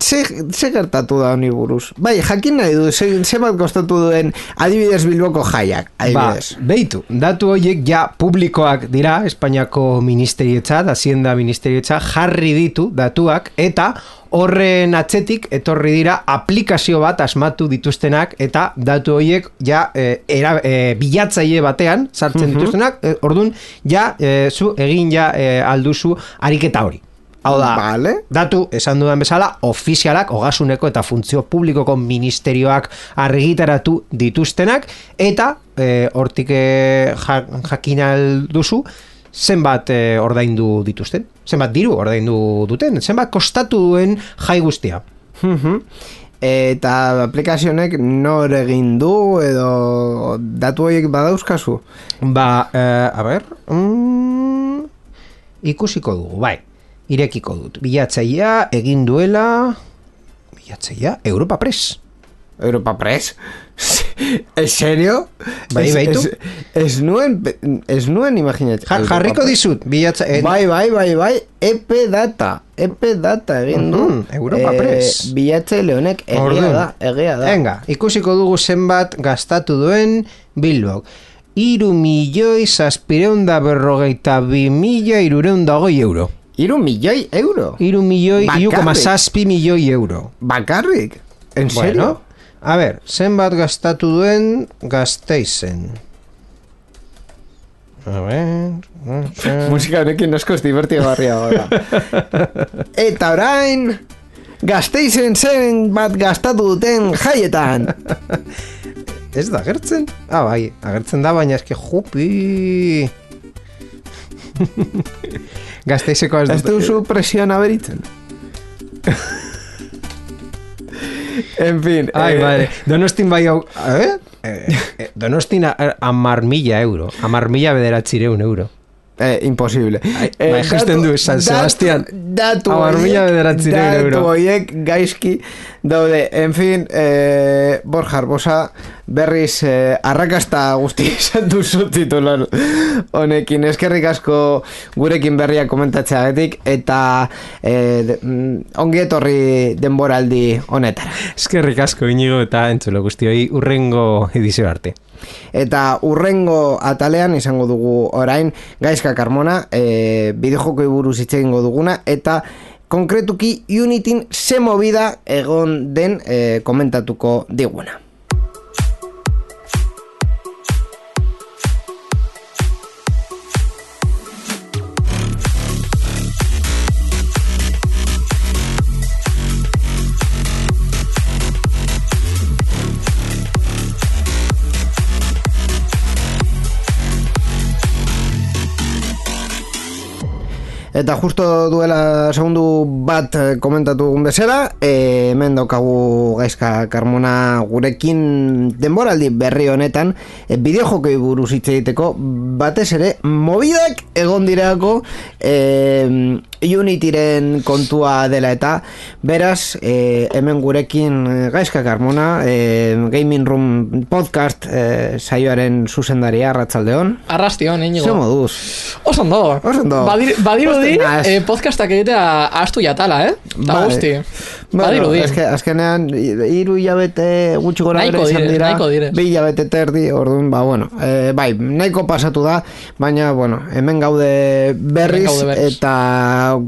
S1: zer, zer gertatu da honi buruz? Bai, jakin nahi du, zenbat kostatu duen adibidez Bilboko jaiak, adibidez.
S2: Ba, beitu, datu horiek ja publikoak dira, Espainiako ministerietzat, Hacienda ministerietzat, jarri ditu datuak, eta horren atzetik etorri dira aplikazio bat asmatu dituztenak eta datu horiek ja e, era, e, bilatzaile batean sartzen uh-huh. dituztenak, e, orduan ja e, zu egin ja e, alduzu ariketa hori. Hau da,
S1: vale.
S2: Datu, esan dudan bezala, ofizialak, ogasuneko eta funtzio publikoko ministerioak argitaratu dituztenak, eta e, hortik e, jakin alduzu, zenbat e, ordaindu dituzten, zenbat diru ordaindu duten, zenbat kostatu duen jai guztia.
S1: Uh-huh. Eta aplikazionek nor egin du edo datu horiek badauzkazu?
S2: Ba, eh, a ber, mm, ikusiko dugu, bai, irekiko dut. Bilatzailea egin duela, bilatzailea Europa Press.
S1: Europa Press? ¿En serio?
S2: Bai, baitu?
S1: Ez nuen, ez nuen imaginatzen.
S2: Ja, jarriko dizut, bilatza... Eh,
S1: bai, bai, bai, bai, E P Data, E P Data egin du.
S2: Uh-huh, Europa eh, Press.
S1: Bilatzaile honek egia da, egia da.
S2: Venga, ikusiko dugu zenbat gastatu duen Bilbok. Iru milioi zazpireunda berrogeita bi mila irureunda goi euro.
S1: Iru milioi euro?
S2: Iru milioi, iru koma zazpi milioi euro.
S1: Bakarrik? En serio?
S2: Bueno, a ver, zenbat gastatu duen Gasteizen. A ver...
S1: Musika honekin askoz divertigarria gara. Eta orain, Gasteizen zen bat gastatu duten jaietan.
S2: Ez da agertzen? Ah, bai, agertzen da, baina eske jupi... Gasteizeko ez dut...
S1: Ez duzu presioan aberitzen? En fin...
S2: Ai,
S1: eh...
S2: madre, Donostin bai hau... Eh? Eh, Donostin amar mila euro, amar mila bederatzireun euro.
S1: Eh, imposible.
S2: Ai, eh, bai, justen du, San Sebastian.
S1: Datu
S2: horiek,
S1: datu horiek gaizki daude. En fin, eh, Borja Arbosa berriz eh, arrakasta guzti izan duzu titular honekin. Eskerrik asko gurekin berria komentatzeagatik eta eh, de, mm, ongi etorri denboraldi honetara.
S2: Eskerrik asko Inigo eta entzulo guztioi urrengo edizio arte.
S1: Eta urrengo atalean izango dugu orain Gaizka Carmona, e, bideojokoi buruz hitz egingo duguna eta konkretuki Unityn ze movida egon den e, komentatuko diguna. Eta justo duela segundu bat komentatu dugun bezala, e, hemen daukagu Gaizka Carmona gurekin denboraldi berri honetan, e, bideojokei buruz hitz egiteko, batez ere, mobidak egon dirako e, Unityren kontua dela eta, beraz, e, hemen gurekin Gaizka Carmona, e, Gaming Room Podcast e, saioaren zuzendaria, arratsaldeon.
S3: Arrastion, Iñigo.
S1: Zer moduz?
S3: Osondo.
S1: Osondo.
S3: Badir, badirudi eh, podcastak egitea astu jatala, eh? Ta guzti. Badirudi.
S1: Eske, azkenean, hiru hilabete gutxi gora bere izan dira.
S3: Nahiko dire.
S1: Bi hilabete terdi, orduan, ba, bueno. E, bai, nahiko pasatu da, baina, bueno, hemen gaude berriz,
S3: hemen gaude berriz.
S1: eta...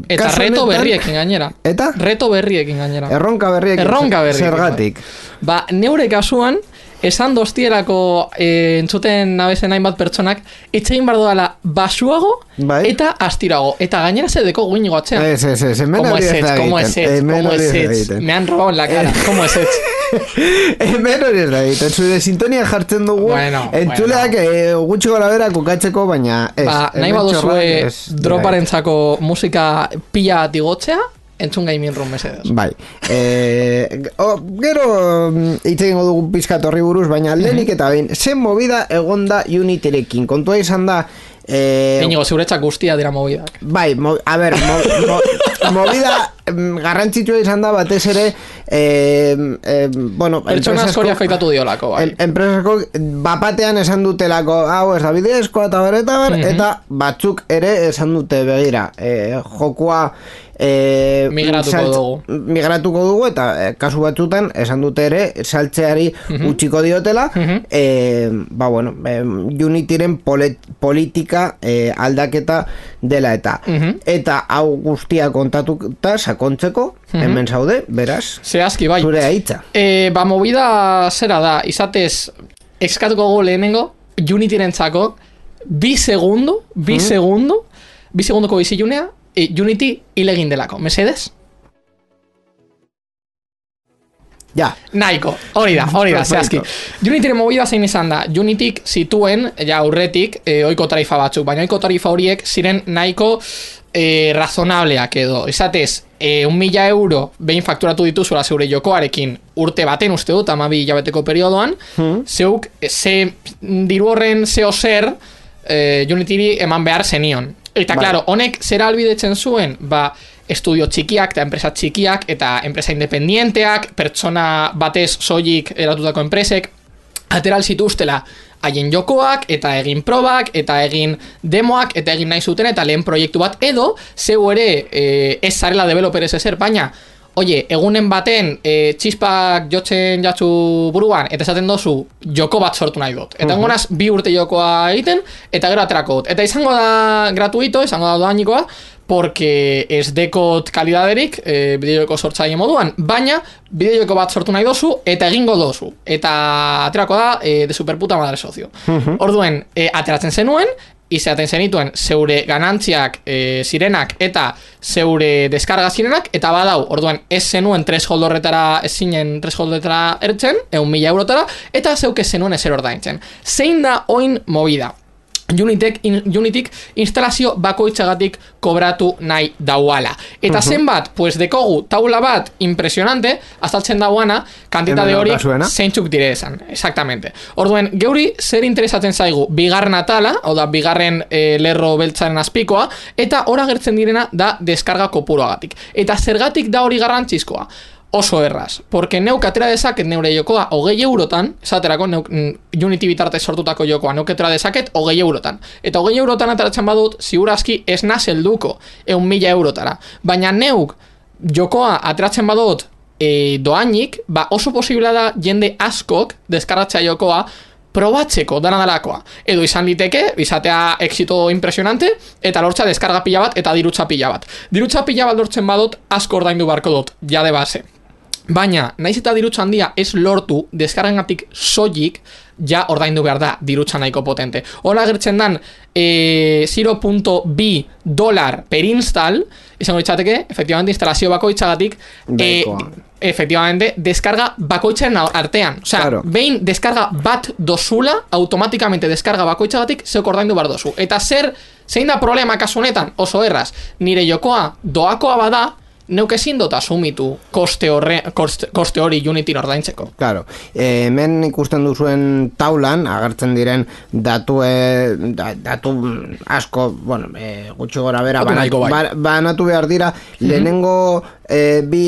S3: Eta reto berriekin gainera.
S1: Eta?
S3: Reto berriekin gainera.
S1: Erronka berriekin.
S3: Erronka berriekin.
S1: Zergatik.
S3: Ba, neure kasuan, esan doztierako e, entzuten nabezen hainbat pertsonak, etxein bardo dala basuago
S1: bai.
S3: eta astirago. Eta gainera zedeko guinigo atxean.
S1: Ez, ez, ez, hemen
S3: Como
S1: hori
S3: es
S1: ez da
S3: ez, como es ez, como es ez. Me han robado en la cara, como es ez.
S1: Hemen hori ez da egiten, zure sintonia jartzen dugu,
S3: bueno,
S1: entzuleak
S3: bueno.
S1: e, gutxi gora bera kokatzeko, baina ez.
S3: Ba, nahi baduzue droparentzako musika pila digotzea, entzun Gaming Room mesedez.
S1: Bai. Eh, o, gero hitz egingo dugu pizkat horri buruz, baina lehenik eta behin, zen movida egonda Unityrekin. Kontua izan da eh,
S3: Inigo, zeuretzak guztia dira movidak.
S1: Bai, mo, a ber, mo, mo, movida garrantzitsua izan da batez ere eh, eh, bueno,
S3: pertsona askori afeitatu diolako, bai.
S1: Enpresako bapatean esan dutelako hau ez da bidezkoa eta ber, eta ber,
S3: Mhm.
S1: eta batzuk ere esan dute begira, eh, jokua E,
S3: migratuko
S1: saltz,
S3: dugu
S1: migratuko dugu eta e, kasu batzutan esan dute ere saltzeari
S3: uh-huh.
S1: utziko diotela
S3: uh-huh.
S1: e, ba bueno e, Unityren polet, politika e, aldaketa dela eta
S3: uh-huh.
S1: eta hau guztia kontatuta sakontzeko uh-huh. hemen zaude, beraz
S3: zehazki bai
S1: zure aitza
S3: e, ba movida zera da izatez eskatuko gu lehenengo Unityren txako bi segundu bi uh-huh. segundu bi segunduko bizilunea E, Unity hilegin delako, mesedez?
S1: Ja.
S3: Nahiko, hori da, hori da, zehazki. Unityren movida zein izan da, Unityk zituen, ja aurretik, e, oiko tarifa batzuk, baina oiko tarifa horiek ziren nahiko e, razonableak edo. Izatez, e, un mila euro behin fakturatu dituzula zeure jokoarekin urte baten uste dut, amabi hilabeteko periodoan, hmm. zeuk, ze diru horren zeo zer, e, Unityri eman behar zenion. Eta, bai. Claro, honek zera albidetzen zuen, ba, estudio txikiak eta enpresa txikiak eta enpresa independienteak, pertsona batez soilik eratutako enpresek, ateral zituztela haien jokoak, eta egin probak, eta egin demoak, eta egin nahi zuten, eta lehen proiektu bat, edo, zeu ere, e, ez zarela developer ez ezer, baina, oie, egunen baten e, txispak jotzen jatzu buruan, eta esaten dozu joko bat sortu nahi dut. Eta uh-huh. engonaz bi urte jokoa egiten, eta gero aterako dut. Eta izango da gratuito, izango da doanikoa, porque ez dekot kalidaderik e, bideojoko sortzaile moduan, baina bideojoko bat sortu nahi dozu, eta egingo dozu. Eta aterako da e, de superputa madre socio. Uh-huh. Orduen, e, ateratzen zenuen, izaten zenituen zeure ganantziak e, zirenak eta zeure deskarga zirenak, eta badau, orduan ez zenuen threshold horretara, ez zinen threshold horretara ertzen, egun mila eurotara, eta zeuk ez zenuen ezer ordaintzen. Zein da oin movida? Unityk, in, Unityk instalazio bakoitzagatik kobratu nahi dauala. Eta uh-huh. zenbat, pues dekogu taula bat impresionante, azaltzen dauana, kantitade hori zeintzuk dire esan. Exactamente. Orduen, geuri zer interesatzen zaigu, bigarren atala, hau da, bigarren e, lerro beltzaren azpikoa, eta hor agertzen direna da deskarga kopuroagatik. Eta zergatik da hori garrantzizkoa? Oso erraz, porque neuk atera dezaket neure jokoa hogei eurotan, esaterako neuk, Unity bitartez sortutako jokoa neuk atera dezaket hogei eurotan. Eta hogei eurotan ateratzen badut, ziurazki ez nazelduko eun mila eurotara. Baina neuk jokoa ateratzen badut e, doainik, ba oso posibila da jende askok deskarratzea jokoa probatzeko dana dalakoa. Edo izan liteke, izatea exito impresionante, eta lortza deskarga pila bat, eta dirutza pila bat. Dirutza pila bat lortzen badut, asko ordaindu barko dut, jade base. Baina, naiz eta dirutza handia ez lortu, deskarrengatik soilik, ja ordaindu behar da dirutza nahiko potente. Hola gertzen dan, e, zero koma bi dolar per install, izango ditzateke, efectivamente, instalazio bakoitzagatik, e, efectivamente, deskarga bakoitzaren artean. Osea,
S1: Claro.
S3: behin deskarga bat dozula, automatikamente deskarga bakoitzagatik zeuk ordaindu behar dozu. Eta zer, zein da problema kasu honetan, oso erraz, nire jokoa doakoa bada, neuk ezin dut asumitu koste, horre, koste, koste hori Unity ordaintzeko.
S1: Claro, eh, hemen ikusten duzuen taulan agertzen diren datu, eh, da, datu asko, bueno, eh, gutxi gora bera,
S3: Datu nahiko bai.
S1: ba, banatu behar dira, lehenengo eh, bi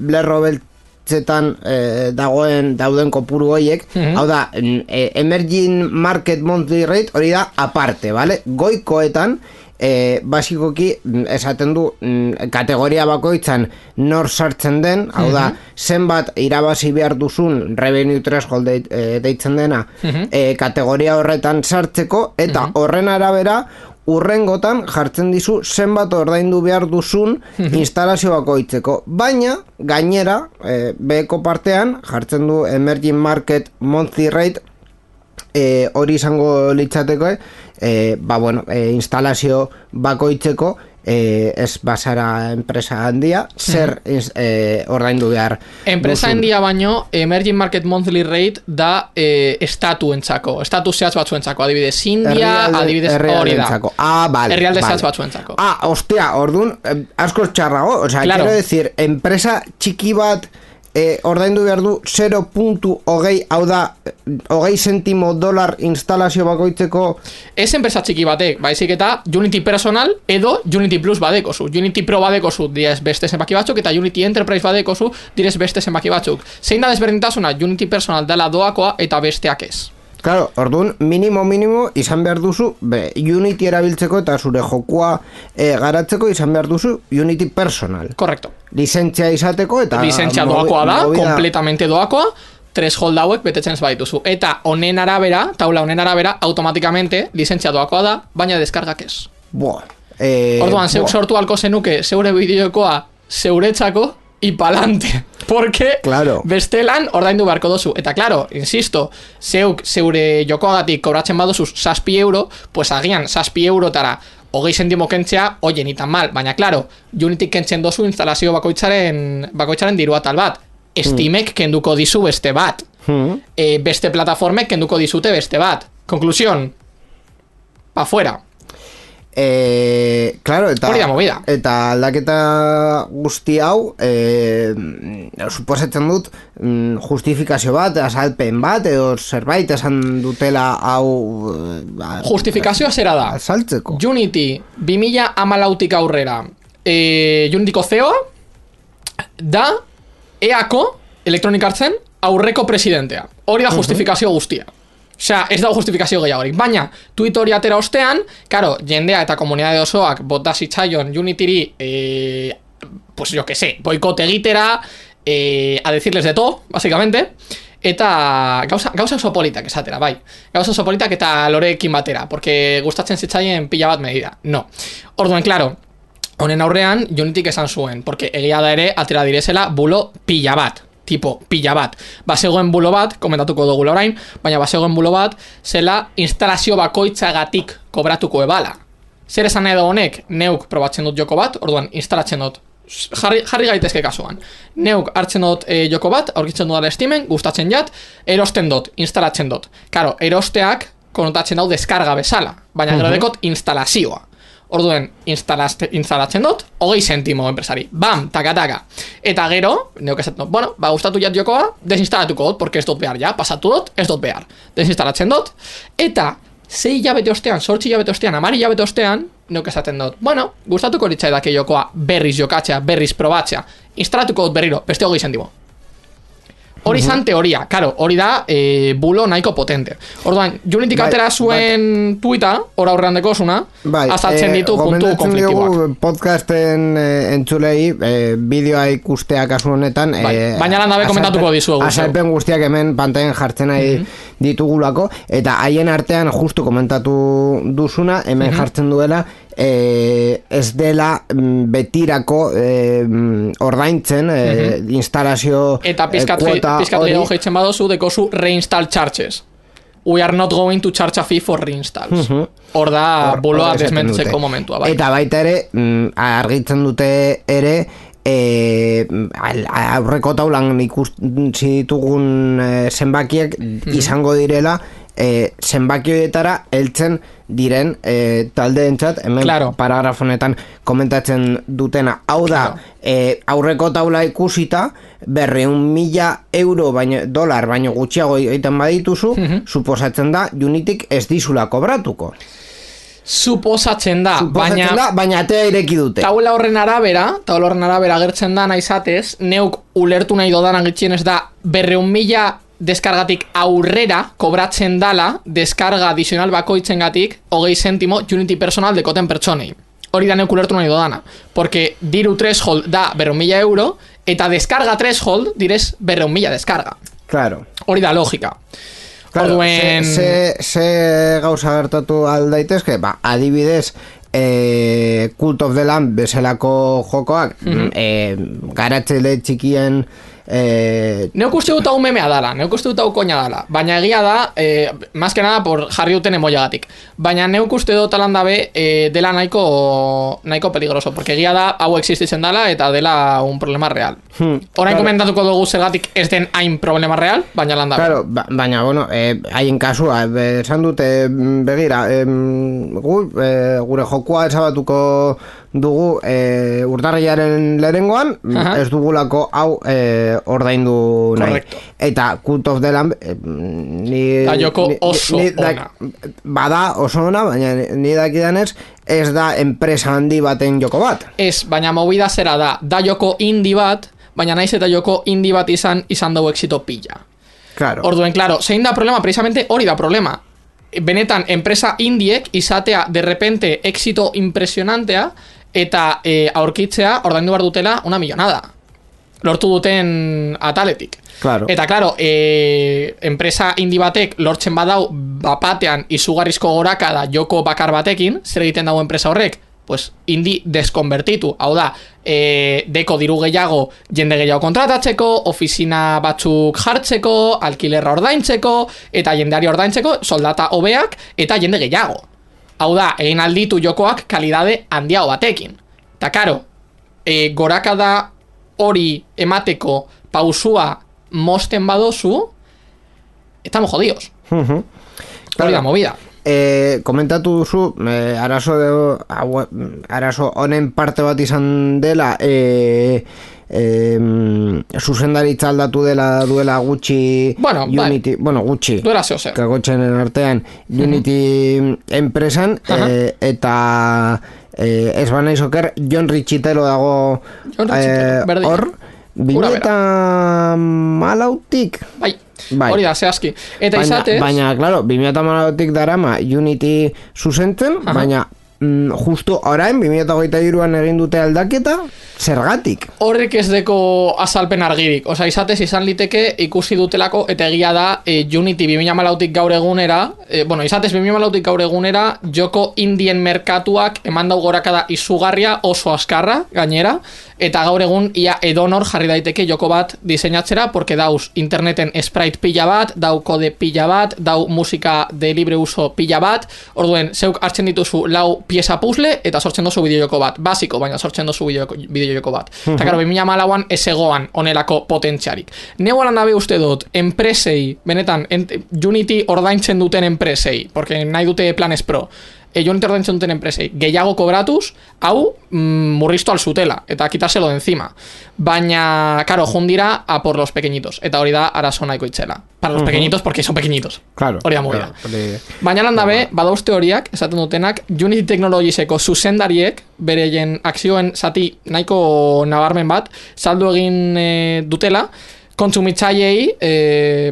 S1: lerro beltzetan eh, dagoen dauden kopuru hoiek, hau da, eh, emerging market monthly rate hori da aparte, vale? Goikoetan, E, basikoki esaten du kategoria bakoitzan nor sartzen den, hau da, zenbat irabazi behar duzun revenue threshold de, e, deitzen dena e, kategoria horretan sartzeko, eta horren arabera urrengotan jartzen dizu zenbat ordaindu behar duzun instalazio bakoitzeko, baina gainera e, beheko partean jartzen du emerging market monthly rate, e, hori izango litzateko, E, ba, bueno, e, instalazio bakoitzeko e, ez basara enpresa handia, zer e, ordaindu behar
S3: Enpresa
S1: duzun.
S3: handia baino, Emerging Market Monthly Rate da e, estatuentzako, estatu zehatz batzuentzako, adibidez India,
S1: Herrialde-
S3: adibidez hori da.
S1: herrialdentzako. Ah, vale,
S3: Herrialde
S1: vale.
S3: zehatz batzuentzako.
S1: Ah, ostia, ordun eh, asko txarrago, o sea,
S3: Claro.
S1: quiero decir, enpresa txiki bat eh, ordaindu behar du zero puntu hogei, hau da, hogei zentimo dolar instalazio bakoitzeko.
S3: Ez enpresa txiki batek, baizik eta Unity Personal edo Unity Plus badekozu. Unity Pro badekozu direz beste zenbaki batzuk, eta Unity Enterprise badekozu direz beste zenbaki batzuk. Zein da desberdintasuna? Unity Personal dela doakoa eta besteak ez.
S1: Claro, orduan, minimo, minimo, izan behar duzu, be, Unity erabiltzeko eta zure jokua e, garatzeko izan behar duzu Unity Personal.
S3: Korrekto.
S1: Lizentzia izateko eta...
S3: Lizentzia
S1: mobi-
S3: doakoa da,
S1: movida-
S3: kompletamente doakoa, threshold hauek betetzen ez badituzu. Eta honen arabera, taula honen arabera, automatikamente lizentzia doakoa da, baina deskargak ez.
S1: Buah. Eh,
S3: Orduan, zeuk
S1: buah.
S3: sortu alko zenuke zeure bideokoa zeuretzako y palante. Porque
S1: Claro.
S3: bestelan ordaindu beharko dozu. Eta claro, insisto, zeuk zeure jokoagatik kobratzen badozuz zazpi euro, pues agian zazpi eurotara hogei zentimo kentzea, oie, ni tan mal. Baina claro, Unity kentzen dozu instalazio bakoitzaren, bakoitzaren diru atal bat. Steamek kenduko dizu beste bat.
S1: Hmm.
S3: E, beste plataformek kenduko dizute beste bat. Konklusión, pa fuera.
S1: Eh, claro, eta,
S3: Hori da movida.
S1: eta aldaketa guzti hau eh, suposatzen dut mm, justifikazio bat, azalpen bat edo zerbait esan dutela hau eh,
S3: Justifikazioa zera da.
S1: azaltzeko.
S3: Unity bi mila hamalautik aurrera e, Unityko C E O da E A-ko Electronic Artsen aurreko presidentea. Hori da justifikazio guztia. Osea, ez dago justifikazio gehiagorik. Baina, tweet hori atera ostean, karo, jendea eta komunidade osoak bota zitzaion Unityri, eh, pues yo que sé, boikote egitera, eh, a decirles de todo, básicamente, eta gauza, gauza oso politak esatera, bai. Gauza oso politak eta loreekin batera, porque gustatzen zitzaien pila bat medida. No. Orduan, claro, honen aurrean Unityk esan zuen, porque egia da ere atera direzela bulo pila bat. Tipo, pila bat. Bazegoen bulo bat, komentatuko dugu orain, baina bazegoen bulo bat, zela instalazio bakoitzagatik kobratuko ebala. Zer esan edo honek, neuk probatzen dut joko bat, orduan instalatzen dut, jarri, jarri gaitezke kasuan. Neuk hartzen dut e, joko bat, aurkitzen dut Steamen, gustatzen jat, erosten dut, instalatzen dut. Karo, erosteak konotatzen dau deskarga bezala, baina gero dekot instalazioa. Orduen, instalatzen dut, hogei zentimo enpresari. Bam, taka-taka. Eta gero, neuk esaten dut, bueno, ba, gustatu jat jokoa, desinstalatuko dut, porque ez dut behar, ja, pasatu dut, ez dut behar. Desinstalatzen dut, eta sei hilabete ostean, sortzi hilabete ostean, amari hilabete ostean, neuk esaten dut, bueno, gustatuko litzaidake jokoa berriz jokatzea, berriz probatzea, instalatuko dut berriro, beste hogei zentimo. Hori izan teoria, karo, hori da e, bulo nahiko potente. Orduan, Unityk
S1: Bai,
S3: atera zuen tuita, ora aurrean dekosuna,
S1: Bai,
S3: azaltzen ditu puntu
S1: gomendatzen
S3: konfliktiboak.
S1: diogu podcasten eh, entzulei eh, bideoa ikustea kasu honetan
S3: Bai, baina lan dabe komentatuko dizuegu, zeu.
S1: azalpen guztiak hemen pantailan jartzen nahi ditugulako, eta haien artean justu komentatu duzuna hemen jartzen duela eh, ez dela mm, betirako eh, mm, ordaintzen eh, instalazio
S3: Eta
S1: eh,
S3: pizkat
S1: kuota
S3: pizkat
S1: hori.
S3: gehiago jeitzen badozu, dekozu reinstall charges. We are not going to charge a fee for reinstalls. Hor da
S1: Hor-
S3: buloa
S1: hor esaten
S3: desmentzeko
S1: dute.
S3: momentua, bai.
S1: Eta baita ere, mm, argitzen dute ere, e, aurreko taulan ikusi ditugun e, zenbakiek mm-hmm. izango direla e, zenbaki horietara heltzen diren e, taldeentzat hemen
S3: claro.
S1: paragrafonetan komentatzen dutena. Hau da, claro. e, aurreko taula ikusita berreun mila euro baino, dolar baino gutxiago egiten badituzu, mm-hmm. suposatzen da Unityk ez dizula kobratuko.
S3: Suposatzen da,
S1: Suposatzen
S3: baina,
S1: da, baina atea ireki dute.
S3: Taula horren arabera, taula horren arabera gertzen da naizatez, neuk ulertu nahi dodanan gitxienez da berreun mila deskargatik aurrera kobratzen dala deskarga adizional bakoitzengatik hogei zentimo Unity personal dekoten pertsonei. Hori da neuk ulertu nahi dodana. Porque diru threshold da berreun mila euro eta deskarga threshold direz berreun mila deskarga.
S1: Claro.
S3: Hori da logika.
S1: Claro,
S3: Orduen...
S1: ze, ze, ze gauza gertatu aldaitezke, ba, adibidez, e, Cult of the Lamb bezalako jokoak, mm-hmm. e, garatzeile txikien... Eh,
S3: neuk uste dut hau memea dala, neuk uste dut hau koina dala, baina egia da, eh, más que nada por jarri duten emoiagatik, baina neuk uste dut talan dabe eh, dela nahiko nahiko peligroso, porque egia da hau existitzen dala eta dela un problema real. Hmm, Orain claro. komentatuko dugu zergatik ez den hain problema real, baina lan dabe.
S1: Claro, ba, baina, bueno, eh, haien kasua, esan dute, begira, eh, gu, eh, gure jokua ezabatuko dugu e, urtarrilaren lehenengoan, uh-huh. ez dugulako hau e, ordaindu nahi. Eta Cult of the Lamb e, ni,
S3: da joko oso
S1: ni, ni,
S3: ona.
S1: Bada oso ona, baina ni dakidanez ez da enpresa handi baten joko bat.
S3: Ez, baina movida zera da, da joko indie bat, baina naiz eta joko indie bat izan, izan dugu exito pilla.
S1: Claro.
S3: Orduen, claro, zein da problema, precisamente hori da problema. Benetan, enpresa indiek izatea de repente éxito impresionantea eta e, aurkitzea ordaindu behar dutela una millonada. Lortu duten ataletik.
S1: Claro.
S3: Eta, claro, e, enpresa indi batek lortzen badau bapatean izugarrizko gorakada joko bakar batekin, zer egiten dago enpresa horrek? Pues indi deskonbertitu. Hau da, e, deko diru gehiago jende gehiago kontratatzeko, ofizina batzuk jartzeko, alkilerra ordaintzeko, eta jendeari ordaintzeko, soldata hobeak, eta jende gehiago. Hau da, egin alditu jokoak kalidade handiago batekin. Ta karo, e, gorakada hori emateko pausua mosten badozu, estamos jodidos.
S1: Uh-huh.
S3: Hori claro. Da movida.
S1: E, komentatu duzu, e, arazo, de, arazo honen parte bat izan dela, e, e, zuzendaritza aldatu dela duela gutxi
S3: bueno,
S1: Unity, bai. bueno, gutxi
S3: duela zeo zer
S1: kagotzen artean Unity uh-huh. enpresan uh-huh. e, eta e, ez banaiz oker John Richitelo dago hor e, bine eta malautik
S3: bai Bai. Hori da, zehazki. Eta
S1: baina,
S3: izatez...
S1: Baina, claro, bi mila hamalautik darama Unity zuzentzen, uh-huh. baina mm, justo orain, bi mila hogeita hiruan egin dute aldaketa, zergatik?
S3: Horrek ez deko azalpen argirik. Osa, izatez izan liteke ikusi dutelako, eta egia da e, Unity bi mila hamalautik gaur egunera, e, bueno, izatez bi mila hamalautik gaur egunera, joko indien merkatuak eman dau gorakada izugarria oso askarra, gainera, eta gaur egun ia edonor jarri daiteke joko bat diseinatzera, porque dauz interneten sprite pila bat, dau kode pila bat, dau musika de libre uso pila bat, orduen, zeuk hartzen dituzu lau pieza puzzle, eta sortzen dozu bideojoko bat, basiko, baina sortzen dozu bideojoko bat. Uh-huh. Eta karo, bi mila hamalauan ez egoan onelako potentziarik. Neu alan dabe uste dut, enpresei, benetan, ent, Unity ordaintzen duten enpresei, porque nahi dute planes pro, e, Unity ordaintzen duten enpresei, gehiago kobratuz, hau mm, murriztu alzutela, eta kitaselo de encima. Baina, karo, jundira a por los pequeñitos, eta hori da arazo nahiko itzela. Para los uh-huh. pequeñitos, porque son pequeñitos.
S1: Claro.
S3: Hori da movida.
S1: Claro, hori...
S3: Baina lan dabe, badauzte horiak, esaten dutenak, Unity Technologieseko zuzendariek, bereien akzioen zati nahiko nabarmen bat, saldu egin e, dutela, kontsumitzaileei e,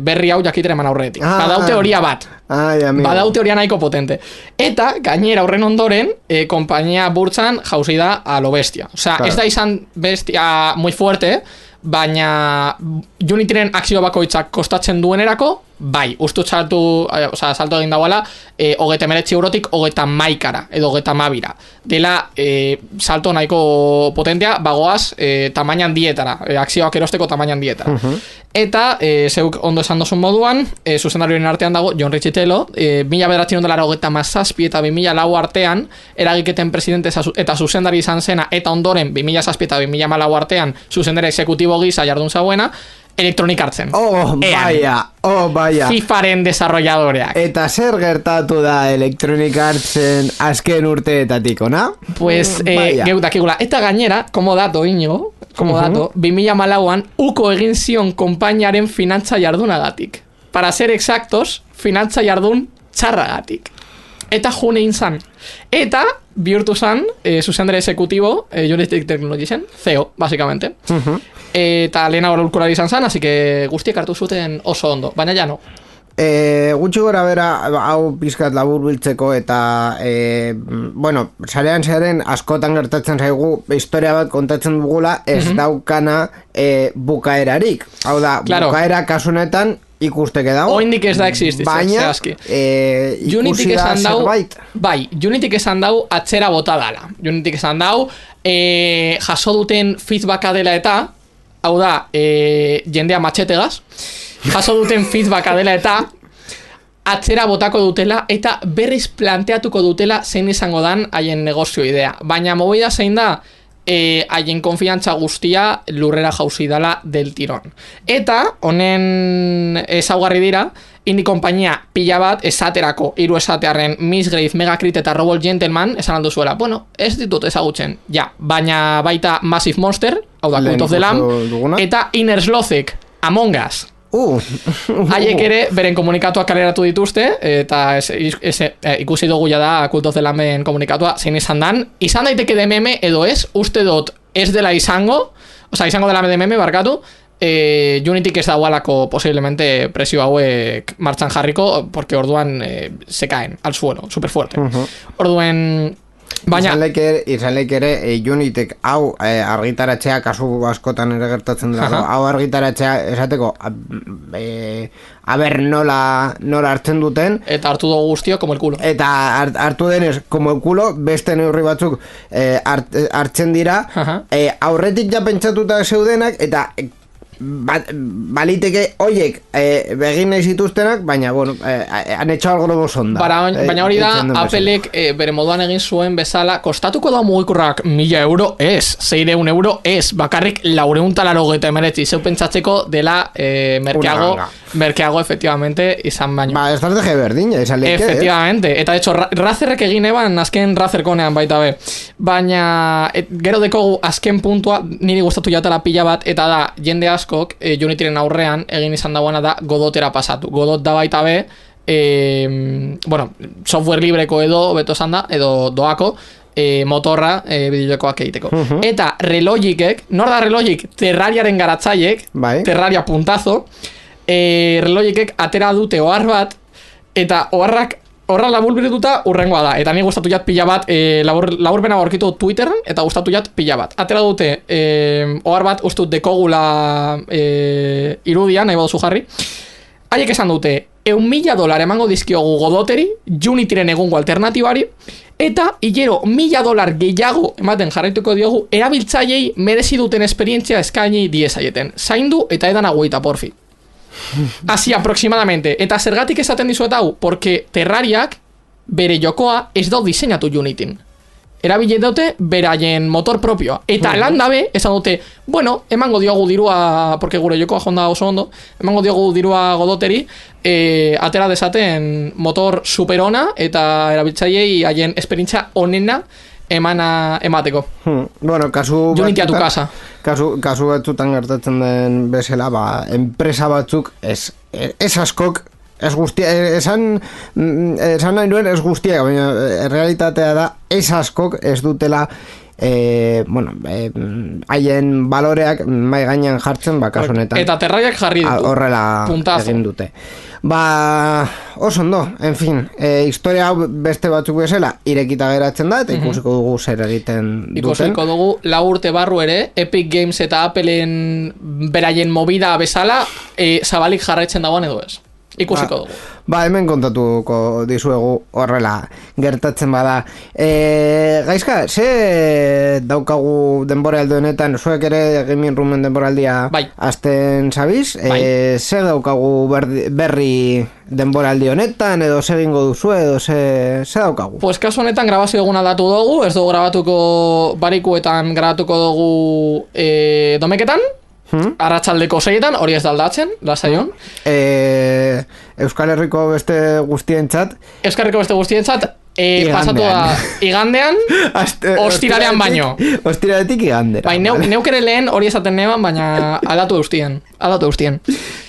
S3: berri hau jakitera eman aurretik. Ah, badau teoria bat.
S1: Ai,
S3: badau teoria nahiko potente. Eta, gainera horren ondoren, e, kompainia burtsan jauzi da a lo bestia. Osea, claro. Ez da izan bestia muy fuerte, baina Unityren akzio bakoitzak kostatzen duenerako, bai, ustu saltu, eh, oza, salto egin dagoela, eh, hogeta emeretzi eurotik hogeta maikara, edo hogeta mabira. Dela, eh, salto nahiko potentea, bagoaz, eh, tamainan dietara, eh, akzioak erosteko tamainan dietara. Uh-huh. Eta, eh, zeuk ondo esan dozun moduan, eh, zuzendarioen artean dago, John Richitelo, eh, mila bederatzion dolara hogeta mazazpi eta bi mila lau artean, eragiketen presidente eta zuzendari izan zena, eta ondoren, bi mila zazpi eta bi mila lau artean, zuzendari exekutibo gisa jardun zauena, Electronic Artsen.
S1: Oh, baia, oh, baia.
S3: FIFAren desarrolladoreak.
S1: Eta zer gertatu da Electronic Artsen azken urteetatik, ona?
S3: Pues, eh, geutakigula. Eta gainera, como dato, Iñigo, como uh-huh. dato, bi mila hamalauan uko egin zion konpainiaren finantza jardunagatik. Para ser exactos, finantza jardun txarragatik. Eta june inzan. Eta bihurtu zan, eh, zuzendere exekutibo, eh, Joystick Technologiesen, C E O, básicamente. Uh-huh. Eta lehena horulkulari izan zan, así que guztiek hartu zuten oso ondo, baina ja no.
S1: E, gutxi gora bera, hau pizkat labur biltzeko eta e, bueno, sarean zearen askotan gertatzen zaigu historia bat kontatzen dugula ez uh-huh. daukana e, bukaerarik. Hau da, claro. Bukaera kasunetan ikusteke dago.
S3: Oindik ez da existitzen,
S1: baina e, ikusi da zerbait.
S3: Bai, Unityk esan dau atzera bota dala. Unityk esan dau e, jaso duten feedbacka dela eta hau da, e, jendea matxetegaz, jaso duten feedbacka dela eta atzera botako dutela eta berriz planteatuko dutela zein izango dan haien negozio idea. Baina movida zein da, e, haien konfiantza guztia lurrera jauzi dala del tirón. Eta, honen ezaugarri dira, indi konpainia pila bat esaterako, hiru esatearren Misgrave, Megacrit eta Robot Gentleman esan aldu zuela. Bueno, ez ditut ezagutzen, ja, baina baita Massive Monster, hau da, Cult of the Lamb, eta Inner Slothek, Among Us.
S1: Uh.
S3: Haiek ere beren komunikatuak kaleratu dituzte eta ez, ez, e, ikusi dugu ja da Cult of the Lamben komunikatua zein izan dan, izan daiteke D M M edo ez, uste dut ez dela izango, oza, izango dela D M M barkatu, e, Unityk ez dagoalako posiblemente presio hauek martxan jarriko, porque orduan e, se caen al suelo, super fuerte. Uh-huh. Orduen baina
S1: izan leik ere e, Unityk hau e, argitaratzea kasu askotan ere gertatzen dela, uh-huh. hau argitaratzea esateko e, aber nola, nola hartzen duten
S3: eta hartu dugu guztio como el culo
S1: eta hart, hartu denez como el culo beste neurri batzuk e, hart, hartzen dira uh-huh. e, aurretik ja pentsatuta zeudenak eta Ba, baliteke oiek e, begin nahi zituztenak, baina bueno, e, han etxo algo lobo sonda.
S3: Bara, baina hori da, e, Applek e, bere moduan egin zuen bezala, kostatuko da mugikurrak mila euro ez, zeireun euro ez, bakarrik laureun talarro eta emeretzi, zeu pentsatzeko dela e, merkeago, merkeago efectivamente izan baino.
S1: Ba, estrategia berdina, izan leike.
S3: Efectivamente, eta de hecho, Razerrek egin eban azken Razerkonean baita be. Baina, et, gero dekogu azken puntua, niri gustatu jatala pila bat, eta da, jende asko E, Unityren aurrean egin izan dagoena da Godotera pasatu. Godot da baita be e, bueno, software libreko edo beto esan da, edo doako e, motorra e, bideojokoak egiteko. Uh-huh. Eta Relogikek, nor da Relogic? Terrariaren garatzaiek, bai. Terraria puntazo, e, Relogikek atera dute ohar bat, eta oharrak horra laburbiretuta urrengoa da. Eta ni gustatu jat pila bat, e, labur, laburbena aurkitu Twitterren, eta gustatu jat pila bat. Atera dute, e, ohar bat, ustut dekogula e, irudia, nahi baduzu jarri. Haiek esan dute, eun mila dolar emango dizkiogu Godoteri, Unityren egungo alternatibari, eta hilero mila dolar gehiago ematen jarraituko diogu, erabiltzaileei merezi duten esperientzia eskaini diezaieten. Zaindu eta edan aguita, porfi. Así aproximadamente. Eta zergatik esaten dizuet hau, porque Terrariak bere jokoa ez dau diseinatu Unityn. Erabile dute beraien motor propioa. Eta uh-huh. landabe esan dute, bueno, emango diogu dirua, porque gure jokoa jonda oso ondo, emango diogu dirua Godoteri, e, atera desaten motor superona eta erabiltzaileei haien esperientzia onena emana emateko.
S1: Hmm. Bueno, kasu
S3: Unity a tu casa.
S1: Kasu, kasu batzutan gertatzen den bezala, ba, enpresa batzuk ez, ez askok, ez guztia, esan, esan nahi nuen ez guztia, baina realitatea da, ez askok ez dutela E, bueno, haien e, baloreak mai gainean jartzen, ba, kasu honetan.
S3: Eta Terrariak jarri ditu.
S1: Horrela
S3: puntazo.
S1: Egin dute. Ba, oso ondo, en fin, e, historia hau beste batzuk bezala irekita geratzen da, eta ikusiko dugu zer egiten duten.
S3: Ikusiko dugu lau urte barru ere, Epic Games eta Appleen beraien movida bezala, e, zabalik jarraitzen dagoen edo ez. Ikusiko dugu.
S1: Ba, hemen kontatuko dizuegu horrela gertatzen bada. E, gaizka, ze daukagu denboraldi honetan, zuek ere Gaming Roomen denboraldia
S3: bai.
S1: Azten zabiz?
S3: Bai.
S1: E, ze daukagu berri, berri denboraldi honetan, edo ze egingo duzu, edo ze, ze daukagu?
S3: Pues kasu honetan grabazio egun aldatu dugu, ez dugu grabatuko barikuetan grabatuko dugu e, domeketan, Hmm? Arratsaldeko seietan, hori ez da aldatzen, lasaion.
S1: E, Euskal Herriko beste guztientzat.
S3: Euskal Herriko beste guztientzat, e, pasatu da igandean, Aste, ostiralean baino.
S1: Ostiraletik igandera.
S3: Bai, neu, neuk ere lehen hori esaten neban, baina aldatu eustien. Aldatu eustien.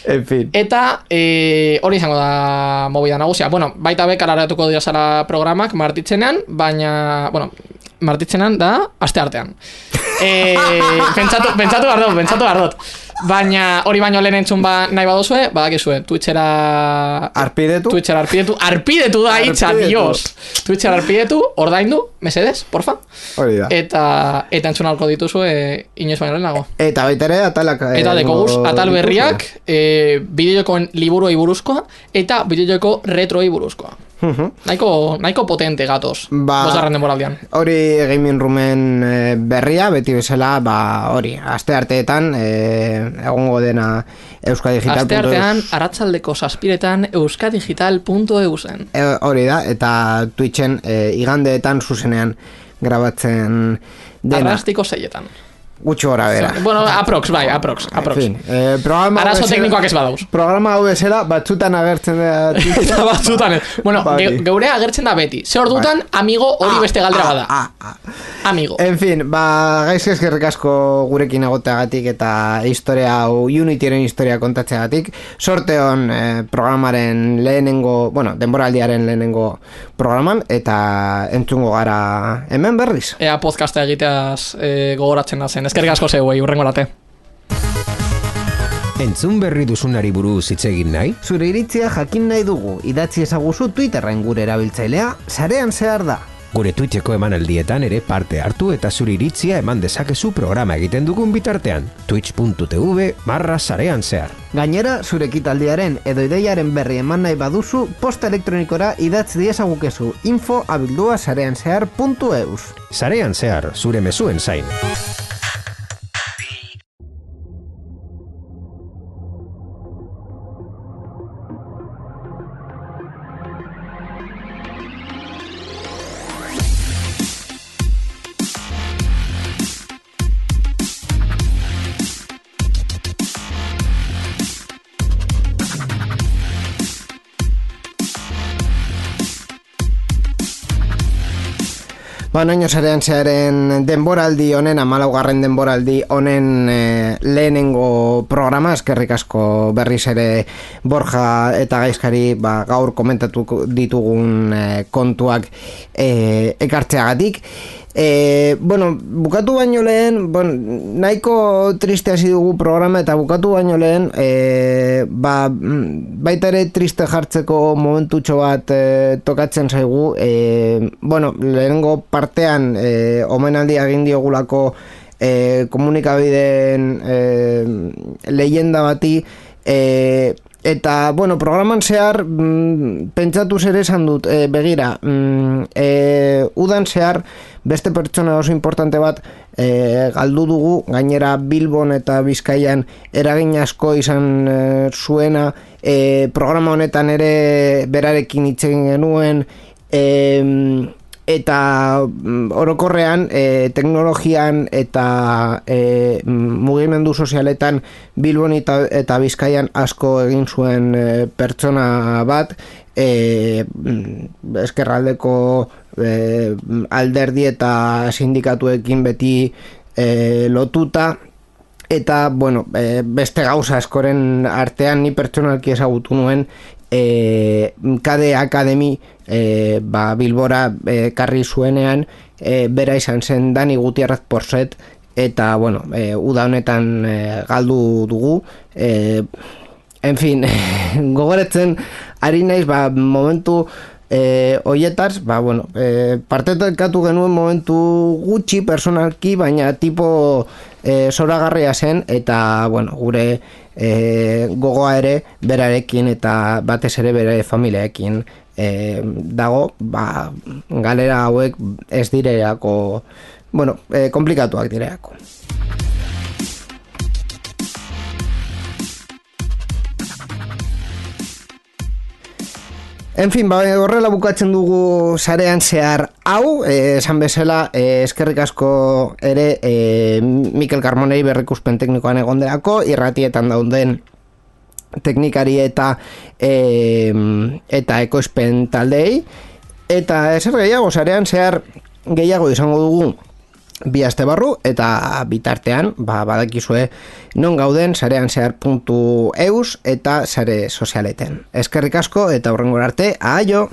S1: En fin.
S3: Eta e, hori izango da movida nagusia. Bueno, baita bekar aratuko dira zara programak martitzenean, baina, bueno, martitzenean da aste artean. E, pentsatu, pentsatu bardot, pentsatu bardot. Baina hori baino lehen entzun ba, nahi badozue, badakizue, Twitchera...
S1: Arpidetu?
S3: Twitchera arpidetu. Arpidetu da hitza, dios! Twitchera arpidetu, ordaindu, mesedez, porfa.
S1: Hori da.
S3: Eta, eta entzun alko dituzue inoiz baino lehenago.
S1: Eta baita ere atalak...
S3: E, eta deko guz, atal berriak, e, bideojokoen liburuei buruzkoa, eta bideojoko retroei buruzkoa. Uh-huh. Nahiko, nahiko potente gatoz, ba, bosgarren denboraldian.
S1: Hori Gaming Roomen e, berria, beti bezala, ba, hori, aste arteetan, e, egongo dena euskadigital puntu eus.
S3: Aste artean, arratsaldeko zazpiretan euskadigital puntu eusen.
S1: E, hori da, eta Twitchen e, igandeetan zuzenean grabatzen dena.
S3: Arrastiko seietan.
S1: Gutxo gora bera.
S3: Bueno, aprox, bai, aprox, aprox.
S1: En fin, eh, programa...
S3: Arazo teknikoak ez badauz.
S1: Programa hau bezala, batzutan agertzen da...
S3: Eta batzutan ez. Bueno, ge, geure agertzen da beti. Ze hor dutan, amigo hori ah, beste galdera bada.
S1: Ah, ah, ah.
S3: Amigo.
S1: En fin, ba, gaizk eskerrik asko gurekin egoteagatik eta historia hau, Unityren historia kontatzeagatik. Sorte hon eh, programaren lehenengo, bueno, denboraldiaren lehenengo programan, eta entzungo gara hemen berriz.
S3: Ea podcasta egiteaz eh, gogoratzen da zen. Eskerrik asko zeuei, urrengo late.
S2: Entzun berri duzunari buruz hitz egin nahi?
S1: Zure iritzia jakin nahi dugu, idatzi ezaguzu Twitterren gure erabiltzailea, sarean zehar da.
S2: Gure Twitcheko emanaldietan ere parte hartu eta zure iritzia eman dezakezu programa egiten dugun bitartean. twitch puntu tv barra sarean zehar.
S1: Gainera, zure ekitaldiaren edo ideiaren berri eman nahi baduzu, posta elektronikora idatz diezagukezu info abildua sarean zehar puntu eus.
S2: Sarean zehar, zure mezuen zain.
S1: Ba, noino sarean zearen denboraldi honen, hamalaugarren denboraldi honen e, lehenengo programa, eskerrik asko berriz ere Borja eta Gaizkari ba, gaur komentatu ditugun e, kontuak e, ekartzeagatik. E, bueno, bukatu baino lehen, bon, nahiko triste hasi dugu programa eta bukatu baino lehen e, ba, baita ere triste jartzeko momentutxo bat e, tokatzen zaigu. E, bueno, lehenengo partean e, omenaldi egin diogulako e, komunikabideen e, leyenda bati, e, eta, bueno, programan zehar mm, pentsatu zer esan dut, e, begira, mm, e, udan zehar beste pertsona oso importante bat e, galdu dugu, gainera Bilbon eta Bizkaian eragin asko izan e, zuena, e, programa honetan ere berarekin hitz egin genuen, e, eta orokorrean e, teknologian eta e, mugimendu sozialetan Bilbon eta, eta Bizkaian asko egin zuen e, pertsona bat, e, eskerraldeko e, alderdi eta sindikatuekin beti e, lotuta, eta bueno, e, beste gauza askoren artean ni pertsonalki ezagutu nuen e, K D Academy e, ba, Bilbora e, karri zuenean, e, bera izan zen Dani Gutierrez Porset, eta bueno, e, uda honetan e, galdu dugu. e, en fin, gogoretzen ari naiz ba, momentu e, oietaz, ba, bueno, e, partekatu genuen momentu gutxi personalki, baina tipo e, zoragarria zen, eta bueno, gure e, gogoa ere berarekin eta batez ere bere familiaekin e, dago, ba, galera hauek ez direako, bueno, e, komplikatuak direako. En fin, ba, horrela bukatzen dugu sarean zehar hau, eh, esan bezala, eh, eskerrik asko ere eh, Mikel Carmonei berrikuspen teknikoan egonderako, irratietan dauden teknikari eta eh, eta ekoizpen taldei, eta ezer gehiago, sarean zehar gehiago izango dugu bi aste barru, eta bitartean, ba, badakizue non gauden sarean zehar puntu eus eta sare sozialeten. Eskerrik asko eta hurrengora arte, aio!